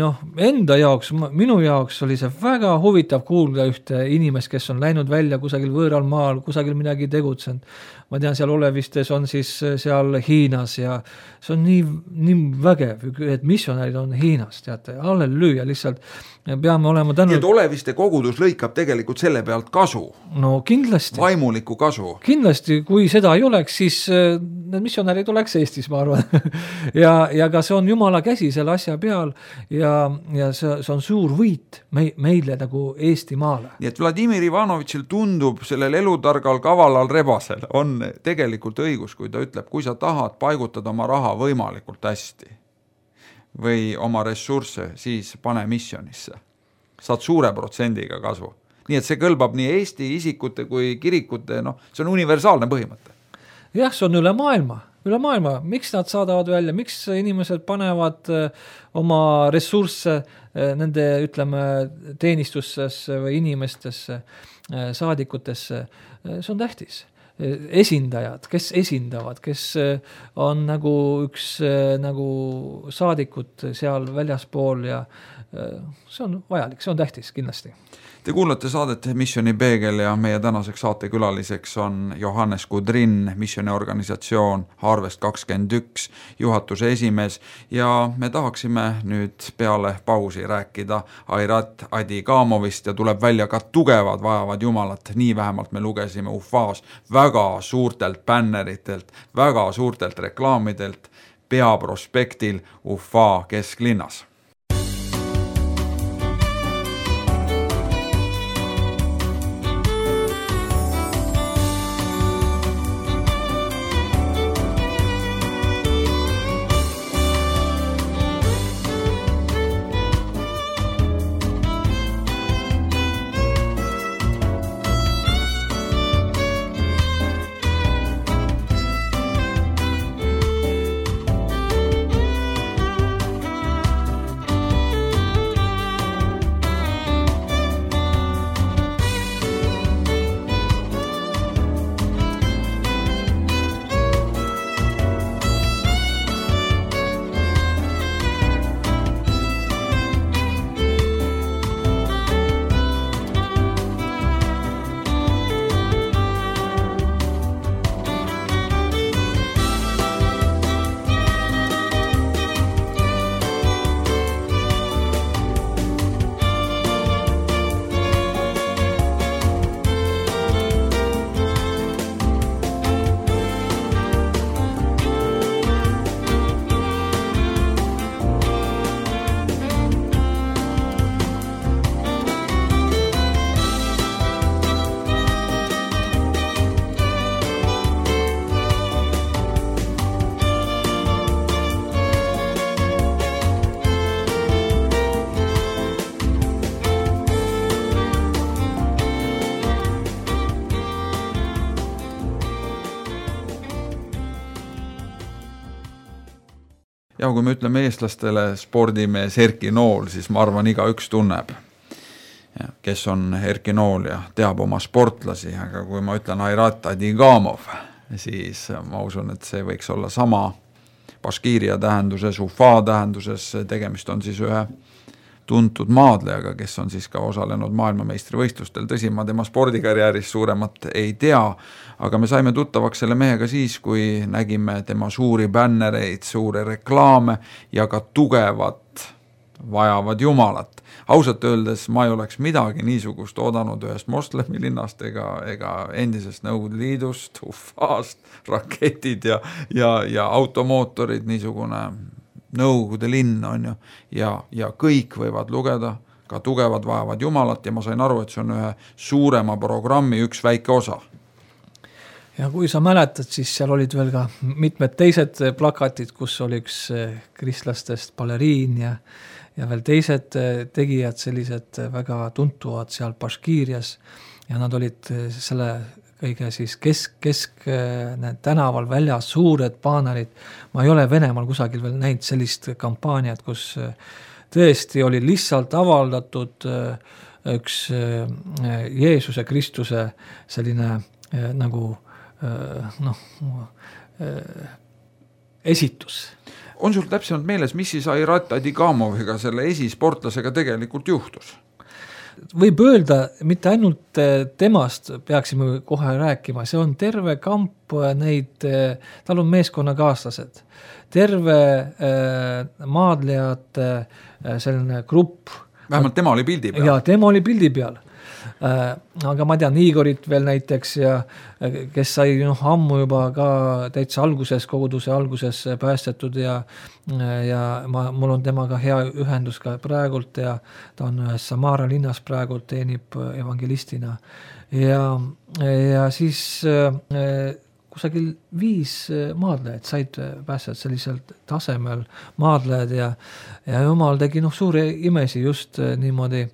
enda jaoks, minu jaoks oli see väga huvitav kuulda ühte inimest, kes on läinud välja kusagil võõral maal, kusagil midagi tegutsenud. Ma tean, seal Olevistes on siis seal Hiinas ja see on nii vägev, et missionärid on Hiinas, teate, halleluuja, lihtsalt peame olema tänu. Nii et Oleviste kogudus lõikab tegelikult selle pealt kasu. No kindlasti. Vaimuliku kasu. Kindlasti, kui seda ei oleks, siis need missionärid oleks Eestis, ma arvan. ja ka see on Jumala käsi selle asja peal ja see on suur võit meile nagu Eesti maale. Nii et Vladimir Ivanovitšil tundub sellel elutargal kavalal rebasel on tegelikult õigus, kui ta ütleb, kui sa tahad paigutada oma raha võimalikult hästi või oma ressursse, siis pane missionisse. Saad suure protsendiga kasu. Nii et see kõlbab nii Eesti isikute kui kirikute, see on universaalne põhimõte. Jah, see on üle maailma. Miks nad saadavad välja, miks inimesed panevad oma ressursse nende, ütleme, teenistustesse või inimestesse, saadikutesse, see on tähtis. Esindajad, kes esindavad, kes on nagu üks nagu saadikut seal väljaspool ja see on vajalik, see on tähtis kindlasti. Te kuulate saadet Missioni Peegel ja meie tänaseks saatekülaliseks on Johannes Kudrin, missioniorganisatsioon Harvest 21 juhatuse esimees ja me tahaksime nüüd peale pausi rääkida Airat Adikamovist ja tuleb välja ka tugevad vajavad Jumalat, nii vähemalt me lugesime UFAs väga suurtelt bänneritelt, väga suurtelt reklaamidelt peaprospektil UFA kesklinnas. Ja kui me ütleme eestlastele spordimees Erki Nool, siis ma arvan, igaüks tunneb, kes on Erki Nool ja teab oma sportlasi, aga kui ma ütlen Airat Adigamov, siis ma usun, et see võiks olla sama Baškiiria tähenduses, Ufa tähenduses, tegemist on siis ühe tuntud maadlejaga, kes on siis ka osalenud maailmameistrivõistlustel. Tõsi, ma tema spordikarjääris suuremat ei tea, aga me saime tuttavaks selle mehega siis, kui nägime tema suuri bännereid, suuri reklaame ja ka tugevat vajavad jumalat. Ausalt öeldes ma ei oleks midagi niisugust oodanud ühest moslemi linnast ega endisest Nõukogude Liidust, Ufast, raketid ja automootorid, niisugune Nõukogude linn on ju, ja kõik võivad lugeda, ka tugevad vajavad jumalat, ja ma sain aru, et see on ühe suurema programmi üks väike osa. Ja kui sa mäletad, siis seal olid veel ka mitmed teised plakatid, kus oli üks kristlastest baleriin ja veel teised tegijad, sellised väga tuntuvad seal Baškiirias, ja nad olid selle kõige siis kesk tänaval väljas suured baanerid. Ma ei ole Venemaal kusagil veel näinud sellist kampaaniat, kus tõesti oli lihtsalt avaldatud üks Jeesuse Kristuse selline nagu esitus. On sul täpsemalt meeles, mis siis Airat Adigamoviga, selle esisportlasega tegelikult juhtus? Võib öelda, mitte ainult temast peaksime kohe rääkima, see on terve kamp neid, tal on meeskonnakaaslased, terve maadlejate selline grupp. Vähemalt tema oli pildi peal. Ja, tema oli pildi peal. Aga ma tean Igorit veel näiteks, ja kes sai ammu juba ka täitsa alguses, koguduse alguses päästetud ja mul on temaga hea ühendus ka praegult ja ta on ühes Samara linnas praegult, teenib evangelistina ja siis kusagil 5 maadlejad said päästet selliselt tasemel maadlejad ja jumal tegi suuri imesi just niimoodi.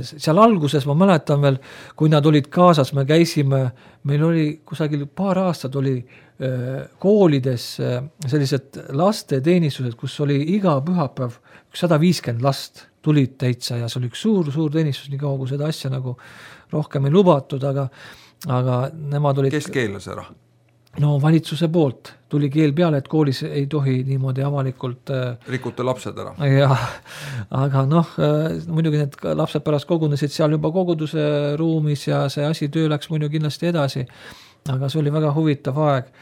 Seal alguses ma mäletan veel, kui nad olid kaasas, me käisime, meil oli kusagil paar aastat oli koolides sellised lasteteenistused, kus oli iga pühapäev 150 last tulid täitsa ja see oli üks suur teenistus, nii kaua kui seda asja nagu rohkem ei lubatud, aga nemad olid... Kes keelas ära? No valitsuse poolt tuli keel peale, et koolis ei tohi niimoodi avalikult... Rikute lapsed ära. Ja, aga muidugi need lapsed pärast kogunesid seal juba koguduse ruumis ja see asi töö läks muidugi kindlasti edasi. Aga see oli väga huvitav aeg.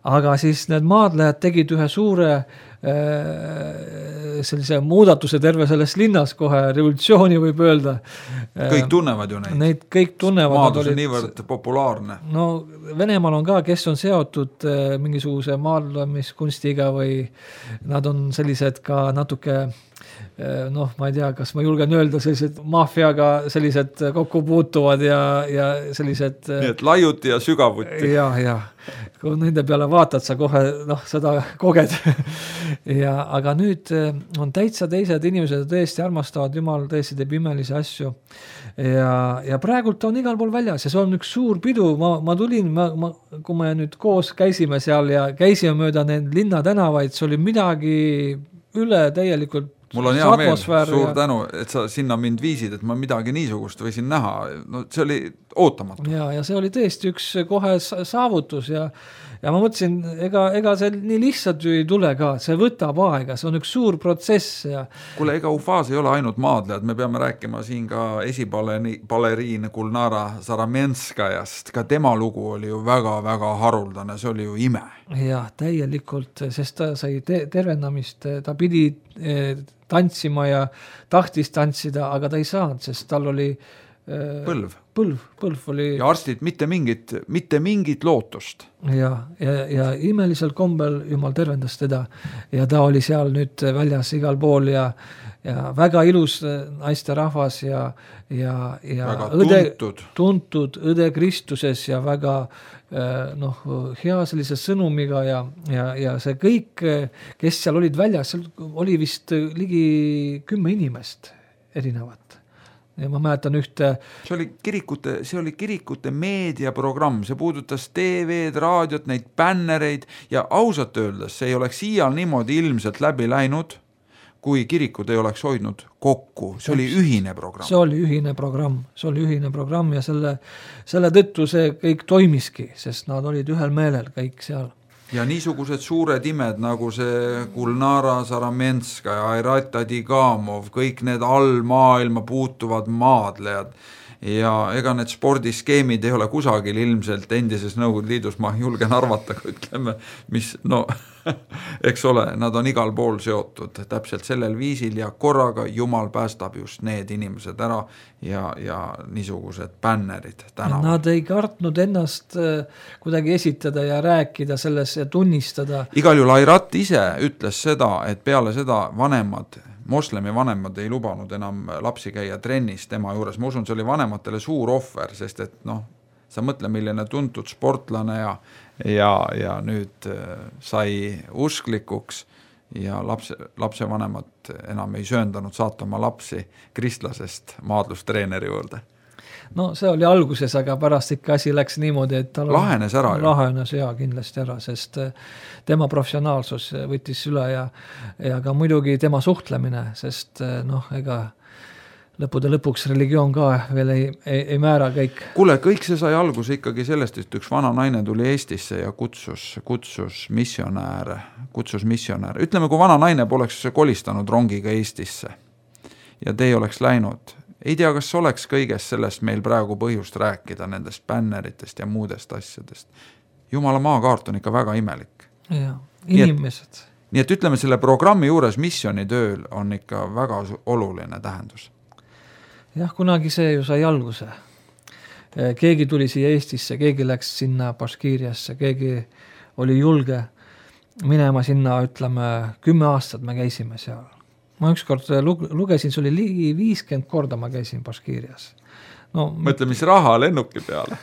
Aga siis need maadlejad tegid ühe suure sellise muudatuse terve selles linnas kohe, revolutsiooni võib öelda. Kõik tunnevad ju neid. Neid kõik tunnevad. Maadlus on niivõrd populaarne. No Venemaal on ka, kes on seotud mingisuguse maadlemiskunstiga või nad on sellised ka natuke ma ei tea, kas ma julgen öelda, sellised maffiaga sellised kokku puutuvad ja sellised... Nii et laiuti ja sügavuti. Ja. Kui nende peale vaatad, sa kohe seda koged. Aga nüüd on täitsa teised inimesed, tõesti armastavad, Jumal tõesti teeb imelisi asju. Ja praegult on igal pool väljas ja see on üks suur pidu. Ma tulin, kui me nüüd koos käisime seal ja käisime mööda need linnatänavaid, see oli midagi üle täielikult. Mul on hea meel, suur tänu, et sa sinna mind viisid, et ma midagi niisugust võisin näha. No, see oli ootamatu. Ja see oli tõesti üks kohe saavutus ja ma mõtlesin, ega see nii lihtsalt ju ei tule ka, see võtab aega, see on üks suur protsess. Kuule, ega Ufas ei ole ainult maadlejad, me peame rääkima siin ka esibaleriin Gulnara Zaramenskajast, ka tema lugu oli ju väga-väga haruldane, see oli ju ime. Ja, täielikult, sest ta sai tervendamist, ta pidi tantsima ja tahtis tantsida, aga ta ei saanud, sest tal oli põlv oli... Ja arstid mitte mingit lootust. Ja imelisel kombel Jumal tervendas teda ja ta oli seal nüüd väljas igal pool ja väga ilus naisterahvas ja väga tuntud õde Kristuses ja väga hea sellise sõnumiga ja see kõik, kes seal olid väljas, seal oli vist ligi 10 inimest erinevat. ja ma mäletan ühte. See oli kirikute meediaprogramm, see puudutas TV-d, raadiot, neid bännereid ja ausalt öeldes see ei oleks iial niimoodi ilmselt läbi läinud, kui kirikud ei oleks hoidnud kokku. See oli ühine programm. See oli ühine programm ja selle tõttu see kõik toimiski, sest nad olid ühel meelel kõik seal. Ja niisugused suured imed nagu see Gulnara Saramenska ja Airat Adigamov, kõik need allmaailma puutuvad maadlejad ja ega need spordiskeemid ei ole kusagil ilmselt endises Nõukogude Liidus, ma julgen arvata, ütleme, mis, no, eks ole, nad on igal pool seotud täpselt sellel viisil ja korraga Jumal päästab just need inimesed ära ja niisugused bännerid tänaval. Nad ei kartnud ennast kuidagi esitada ja rääkida selles ja tunnistada. Igal juhul Airat ise ütles seda, et peale seda moslemi vanemad ei lubanud enam lapsi käia trennis tema juures. Ma usun, see oli vanematele suur ohver, sest et sa mõtle, milline tuntud sportlane ja nüüd sai usklikuks ja lapse vanemad enam ei sööndanud saata oma lapsi kristlasest maadlustreeneri juurde. No see oli alguses, aga pärast ikka asi läks niimoodi, et tal lahenes ära. Lahenes kindlasti ära, sest tema professionaalsus võttis üle ja ka muidugi tema suhtlemine, sest ega lõppude lõpuks religioon ka veel ei määra kõik. Kuule, kõik see sai alguse ikkagi sellest, et üks vana naine tuli Eestisse ja kutsus missionääre. Ütleme, kui vana naine poleks kolistanud rongiga Eestisse ja te ei oleks läinud, ei tea, kas oleks kõigest sellest meil praegu põhjust rääkida, nendest bänneritest ja muudest asjadest. Jumala maakaart on ikka väga imelik. Ja, inimesed. Nii et ütleme, selle programmi juures missionitööl on ikka väga oluline tähendus. Jah, kunagi see ju sai alguse. Keegi tuli siia Eestisse, keegi läks sinna Baškiiriasse, keegi oli julge minema sinna, ütleme, 10 aastat me käisime seal. Ma ükskord lugesin, see oli ligi 50 korda ma käisin Baškiirias. Mõtle, mis raha lennuki peale?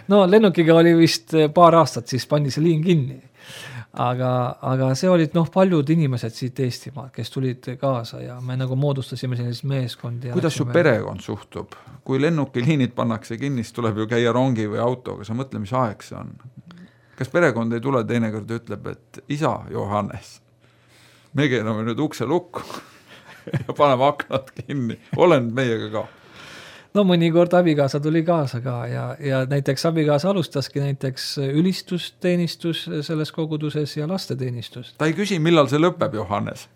Lennukiga oli vist paar aastat, siis pandi see liin kinni. Aga see olid paljud inimesed siit Eestimaal, kes tulid kaasa ja me nagu moodustasime sellist meeskondi. Kuidas su perekond suhtub? Kui lennukiliinid pannakse kinni, siis tuleb ju käia rongi või autoga, sa mõtle, mis aeg see on. Kas perekond ei tule teinekord ja ütleb, et isa Johannes, me keerame nüüd ukse lukku ja paneme aknad kinni, olen meiega ka. Mõnikord abikaasa tuli kaasa ka ja näiteks abikaasa alustaski näiteks ülistusteenistus selles koguduses ja lasteteenistus. Ta ei küsi, millal see lõpeb, Johannes?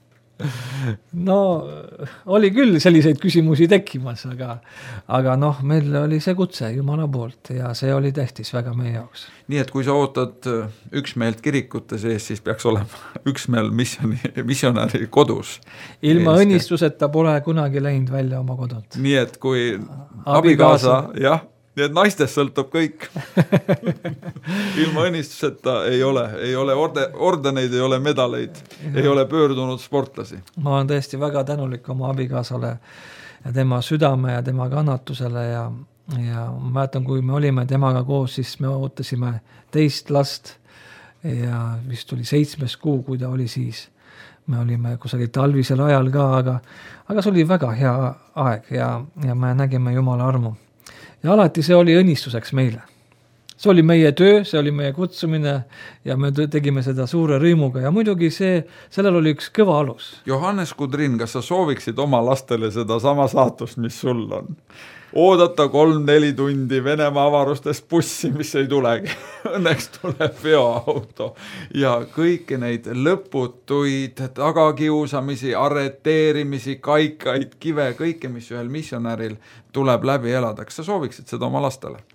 Oli küll selliseid küsimusi tekkimas, aga meil oli see kutse Jumala poolt ja see oli tähtis väga meie jaoks. Nii et kui sa ootad üksmeelt kirikute sees, siis peaks olema üksmeel missionäri kodus. Ilma õnnistuseta pole kunagi läinud välja oma kodult. Nii et kui abikaasa, jah, nii et naistest sõltub kõik. Ilma õnnistuseta ei ole ordeneid, ei ole medaleid, ei ole pöördunud sportlasi. Ma olen tõesti väga tänulik oma abikaasale ja tema südame ja tema kannatusele ja ma mäletan, kui me olime temaga koos, siis me ootasime 2 last ja vist oli 7. kuu, kui ta oli siis. Me olime kusagil talvisel ajal ka, aga see oli väga hea aeg ja me nägime Jumala armu. Ja alati see oli õnnistuseks meile. See oli meie töö, see oli meie kutsumine ja me tegime seda suure rõimuga ja muidugi sellel oli üks kõva alus. Johannes Kudrin, kas sa sooviksid oma lastele seda sama saatust, mis sul on? Oodata 3-4 tundi Venemaa avarustest bussi, mis ei tulegi. Õnneks tuleb veoauto ja kõiki neid lõputuid tagakiusamisi, arreteerimisi, kaikaid, kive, kõike, mis ühel missionäril tuleb läbi elada. Kas sa sooviksid seda oma lastele?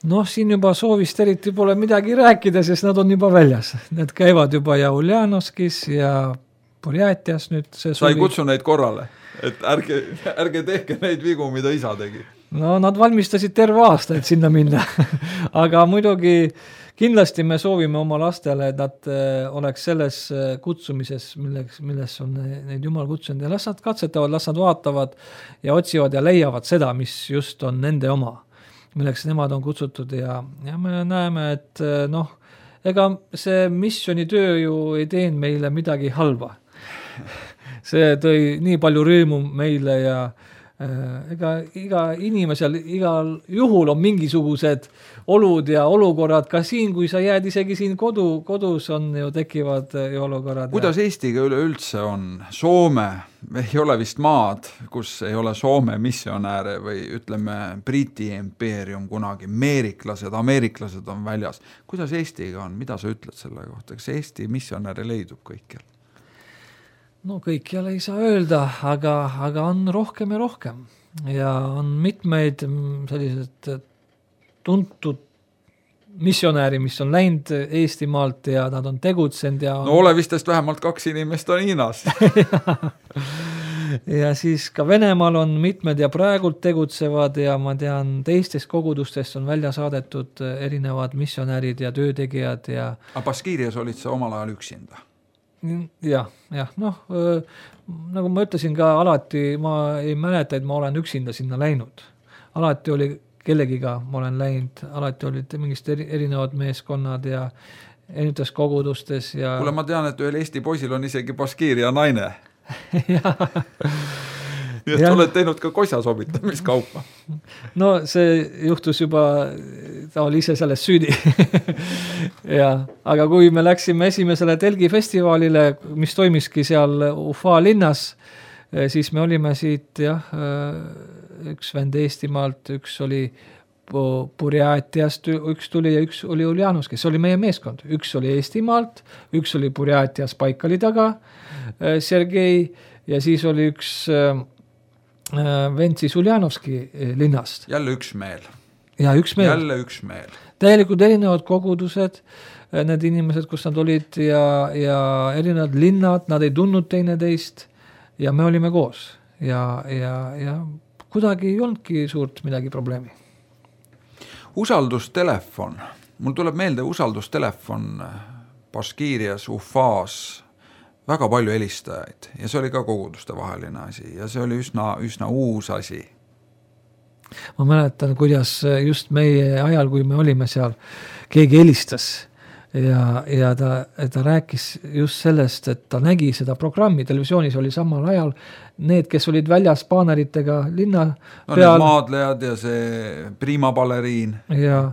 Siin juba soovist eriti pole midagi rääkida, sest nad on juba väljas. Need käivad juba ja Uljanoskis ja Burjatias nüüd see suvi. Sa ei kutsu neid korrale? Et ärge tehke neid vigu, mida isa tegi. Nad valmistasid terve aasta, et sinna minna. Aga muidugi kindlasti me soovime oma lastele, et nad oleks selles kutsumises, milles on neid Jumal kutsunud. Ja las nad katsetavad, las nad vaatavad ja otsivad ja leiavad seda, mis just on nende oma, milleks nemad on kutsutud. Ja me näeme, et ega see missionitöö ju ei teinud meile midagi halba. See tõi nii palju rõõmu meile ja iga inimesel igal juhul on mingisugused olud ja olukorrad ka siin, kui sa jääd isegi siin kodus on ju tekivad ju olukorrad. Kuidas Eestiga üleüldse on? Soome ei ole vist maad, kus ei ole Soome missionääre või ütleme Briti impeerium kunagi, ameeriklased on väljas. Kuidas Eestiga on? Mida sa ütled selle kohta? Kas Eesti missionääre leidub kõikjal? No kõikjal ei saa öelda, aga on rohkem ja rohkem. Ja on mitmeid sellised tuntud missionääri, mis on läinud Eestimaalt ja nad on tegutsenud. Ja no olevistest vähemalt 2 inimest on Hiinas. ja siis ka Venemaal on mitmed ja praegult tegutsevad ja ma tean, teistest kogudustest on välja saadetud erinevad missionäärid ja töötegijad. Ja aga Baskiirias olid sa omal ajal üksinda? jah, noh, nagu ma ütlesin ka alati, ma ei mäleta, et ma olen üksinda sinna läinud. Alati oli kellegiga, ma olen läinud, alati olid mingist erinevad meeskonnad ja erinevates kogudustes. Ja kuule, ma tean, et ühel Eesti poisil on isegi Baskiiria naine. Nii et oled teinud ka kosjasobitamiskaupa. No see juhtus juba, ta oli ise selles süüdi. ja, aga kui me läksime esimesele telgifestivalile, mis toimiski seal Ufa linnas, siis me olime siit üks vend Eestimaalt, üks oli Burjatiast, üks tuli ja üks oli Uljanovski, see oli meie meeskond. Üks oli Eestimaalt, üks oli Burjatias Baikali taga, Sergei, ja siis oli üks vend siis Uljanovski linnast. Jälle üksmeel. Ja üksmeel. Jälle üksmeel. Täielikult erinevad kogudused, need inimesed, kus nad olid ja erinevad linnad, nad ei tundnud teineteist ja me olime koos. Ja kuidagi ei olnudki suurt midagi probleemi. Usaldustelefon. Mul tuleb meelde usaldustelefon Baskiirias, Ufas, väga palju helistajaid ja see oli ka koguduste vaheline asi ja see oli üsna uus asi. Ma mäletan, kuidas just meie ajal, kui me olime seal, keegi helistas ja ta rääkis just sellest, et ta nägi seda programmi, televisioonis oli samal ajal need, kes olid väljas baaneritega linna peal. Need maadlejad ja see Prima baleriin. Ja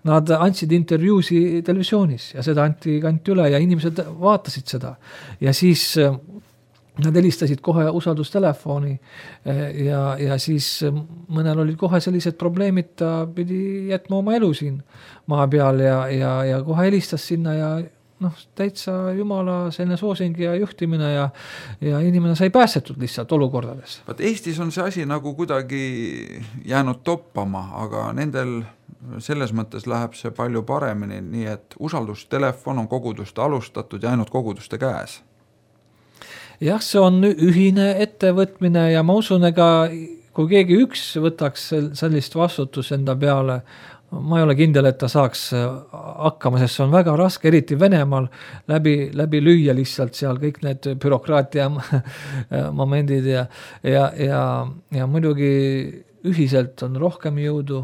nad andsid intervjuusi televisioonis ja seda anti üle ja inimesed vaatasid seda. Ja siis nad helistasid kohe usaldustelefoni ja siis mõnel olid kohe sellised probleemid, ta pidi jätma oma elu siin maa peal ja kohe helistas sinna ja täitsa Jumala selline soosing ja juhtimine ja inimene sai päästetud lihtsalt olukordades. Eestis on see asi nagu kuidagi jäänud toppama, aga nendel selles mõttes läheb see palju paremini, nii et usaldustelefon on koguduste alustatud ja ainult koguduste käes. Jah, see on ühine ettevõtmine ja ma usun, ega kui keegi üks võtaks sellist vastutus enda peale, ma ei ole kindel, et ta saaks hakkama, sest see on väga raske, eriti Venemaal läbi lüüa lihtsalt seal kõik need bürokraatia momendid ja muidugi ühiselt on rohkem jõudu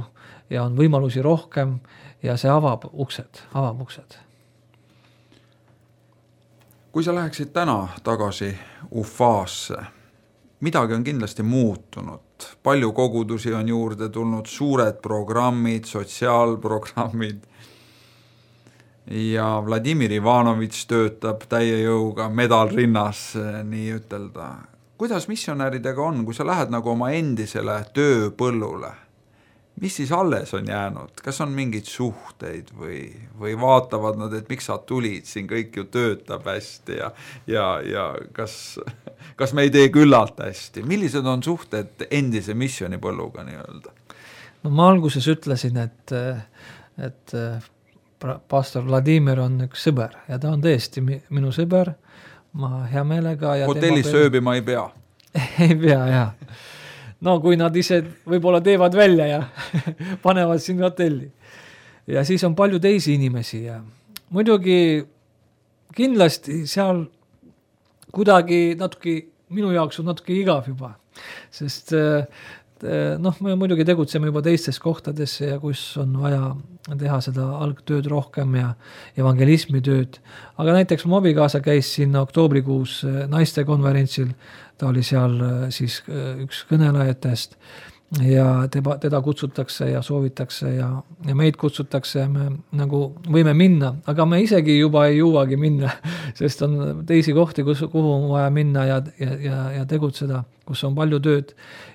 ja on võimalusi rohkem ja see avab uksed. Kui sa läheksid täna tagasi Ufasse, midagi on kindlasti muutunud. Palju kogudusi on juurde tulnud, suured programmid, sotsiaalprogrammid ja Vladimir Ivanovitš töötab täie jõuga, medal rinnas, nii ütelda. Kuidas missionääridega on, kui sa lähed nagu oma endisele tööpõllule? Mis siis alles on jäänud? Kas on mingid suhteid või vaatavad nad, et miks sa tulid, siin kõik ju töötab hästi ja kas me ei tee küllalt hästi? Millised on suhted endise missionipõlluga nii öelda? No ma alguses ütlesin, et pastor Vladimir on üks sõber ja ta on tõesti minu sõber. Ma hea meelega. Hotellis sööbima ei pea? Ei pea, jah. No kui nad ise võib-olla teevad välja ja panevad siin hotelli. Ja siis on palju teisi inimesi ja muidugi kindlasti seal kuidagi natuke, minu jaoks on natuke igav juba, sest noh, me muidugi tegutseme juba teistes kohtades ja kus on vaja teha seda algtööd rohkem ja evangelismi tööd. Aga näiteks mu abikaasa käis sinna oktoobrikuus naistekonverentsil, ta oli seal siis üks kõnelejatest ja teda kutsutakse ja soovitakse ja meid kutsutakse ja me nagu võime minna, aga me isegi juba ei jõuagi minna, sest on teisi kohti, kuhu on vaja minna ja tegutseda, kus on palju tööd.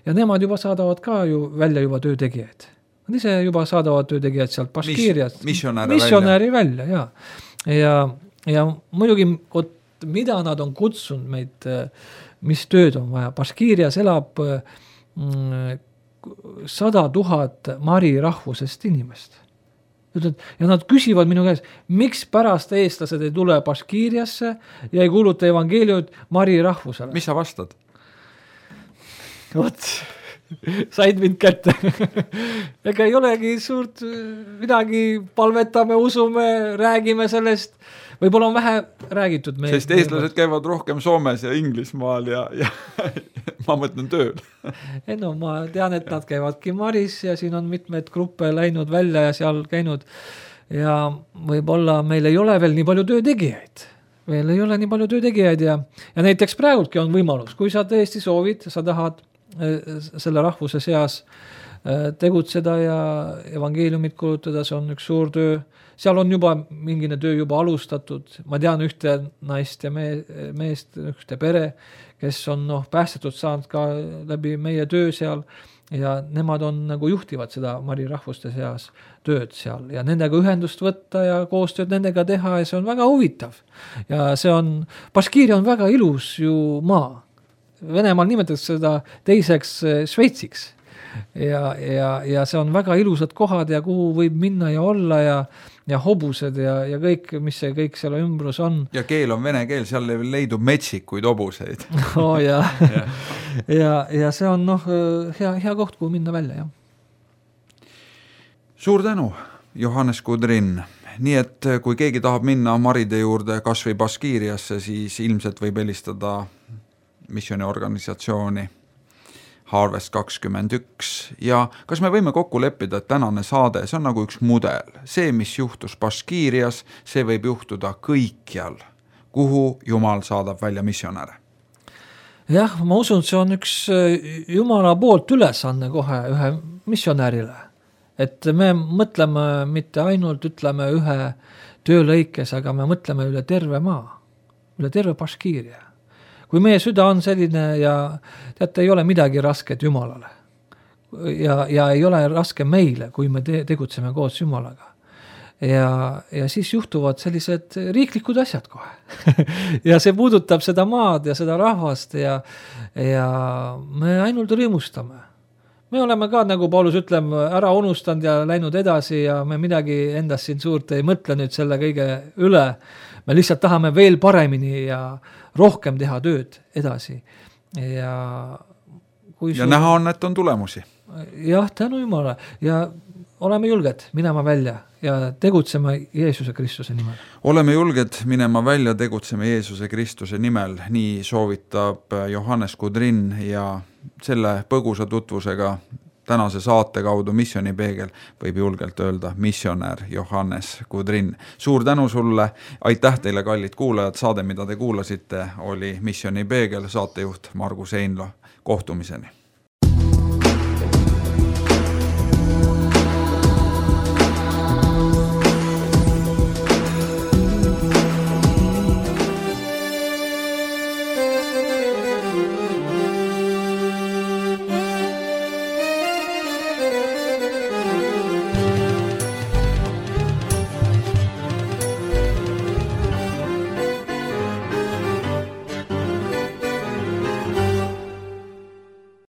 Ja nemad juba saadavad ka ju välja juba töötegijaid. Nad ise juba saadavad töötegijad sealt Baškiiriast. Missionääri välja, ja muidugi, mida nad on kutsunud meid, mis tööd on vaja. Baškiirias elab 100 000 mari rahvusest inimest. Ja nad küsivad minu käes, miks pärast eestlased ei tule Baškiiriasse ja ei kuuluta evangeeliumit mari rahvusele. Mis sa vastad? Vot, said mind kätte. Ega ei olegi suurt midagi, palvetame, usume, räägime sellest. Võib-olla on vähe räägitud. Sest eestlased käivad rohkem Soomes ja Inglismaal ja ma mõtlen tööl. No ma tean, et nad käivadki Maris ja siin on mitmed gruppe läinud välja ja seal käinud. Ja võib-olla meil ei ole veel nii palju töötegijaid. Veel ei ole nii palju töötegijaid ja näiteks praegultki on võimalus, kui sa tõesti soovid, sa tahad selle rahvuse seas tegutseda ja evangeeliumit kuulutada, see on üks suur töö. Seal on juba mingine töö juba alustatud. Ma tean ühte naist ja meest, ühte pere, kes on päästetud saanud ka läbi meie töö seal ja nemad on nagu juhtivad seda mari rahvuste seas tööd seal ja nendega ühendust võtta ja koostööd nendega teha ja see on väga huvitav. Ja see on, Baškiiria on väga ilus ju maa. Venemaal nimetatakse seda teiseks Šveitsiks ja see on väga ilusad kohad ja kuhu võib minna ja olla ja hobused ja kõik, mis see kõik seal ümbrus on. Ja keel on vene keel, seal leidub metsikuid hobuseid. Ja see on hea koht, kuhu minna välja. Ja. Suur tänu, Johannes Kudrin. Nii et kui keegi tahab minna maride juurde kas või Baškiiriasse, siis ilmselt võib helistada missiooniorganisatsiooni Harvest 21 ja kas me võime kokku leppida, et tänane saade, see on nagu üks mudel. See, mis juhtus Baškiirias, see võib juhtuda kõikjal, kuhu Jumal saadab välja missionäre. Jah, ma usun, see on üks Jumala poolt ülesanne kohe ühe missionäärile. Et me mõtleme mitte ainult, ütleme ühe töölõikes, aga me mõtleme üle terve maa, üle terve Baškiiria. Kui meie süda on selline ja teate, ei ole midagi rasket Jumalale ja ei ole raske meile, kui me tegutseme koos Jumalaga. Ja siis juhtuvad sellised riiklikud asjad kohe. Ja see puudutab seda maad ja seda rahvast ja me ainult rõõmustame. Me oleme ka, nagu Paulus ütleb, ära unustanud ja läinud edasi ja me midagi endast siin suurt ei mõtle nüüd selle kõige üle. Me lihtsalt tahame veel paremini ja rohkem teha tööd edasi. Ja näha on, et on tulemusi. Jah, tänu Jumala. Ja oleme julged minema välja ja tegutseme Jeesuse Kristuse nimel. Oleme julged minema välja, tegutseme Jeesuse Kristuse nimel. Nii soovitab Johannes Kudrin ja selle põgusa tutvusega tänase saate kaudu Missioonipeegel võib julgelt öelda missionär Johannes Kudrin. Suur tänu sulle, aitäh teile kallid kuulajad, saade mida te kuulasite oli Missioonipeegel, saatejuht Margus Einlo, kohtumiseni.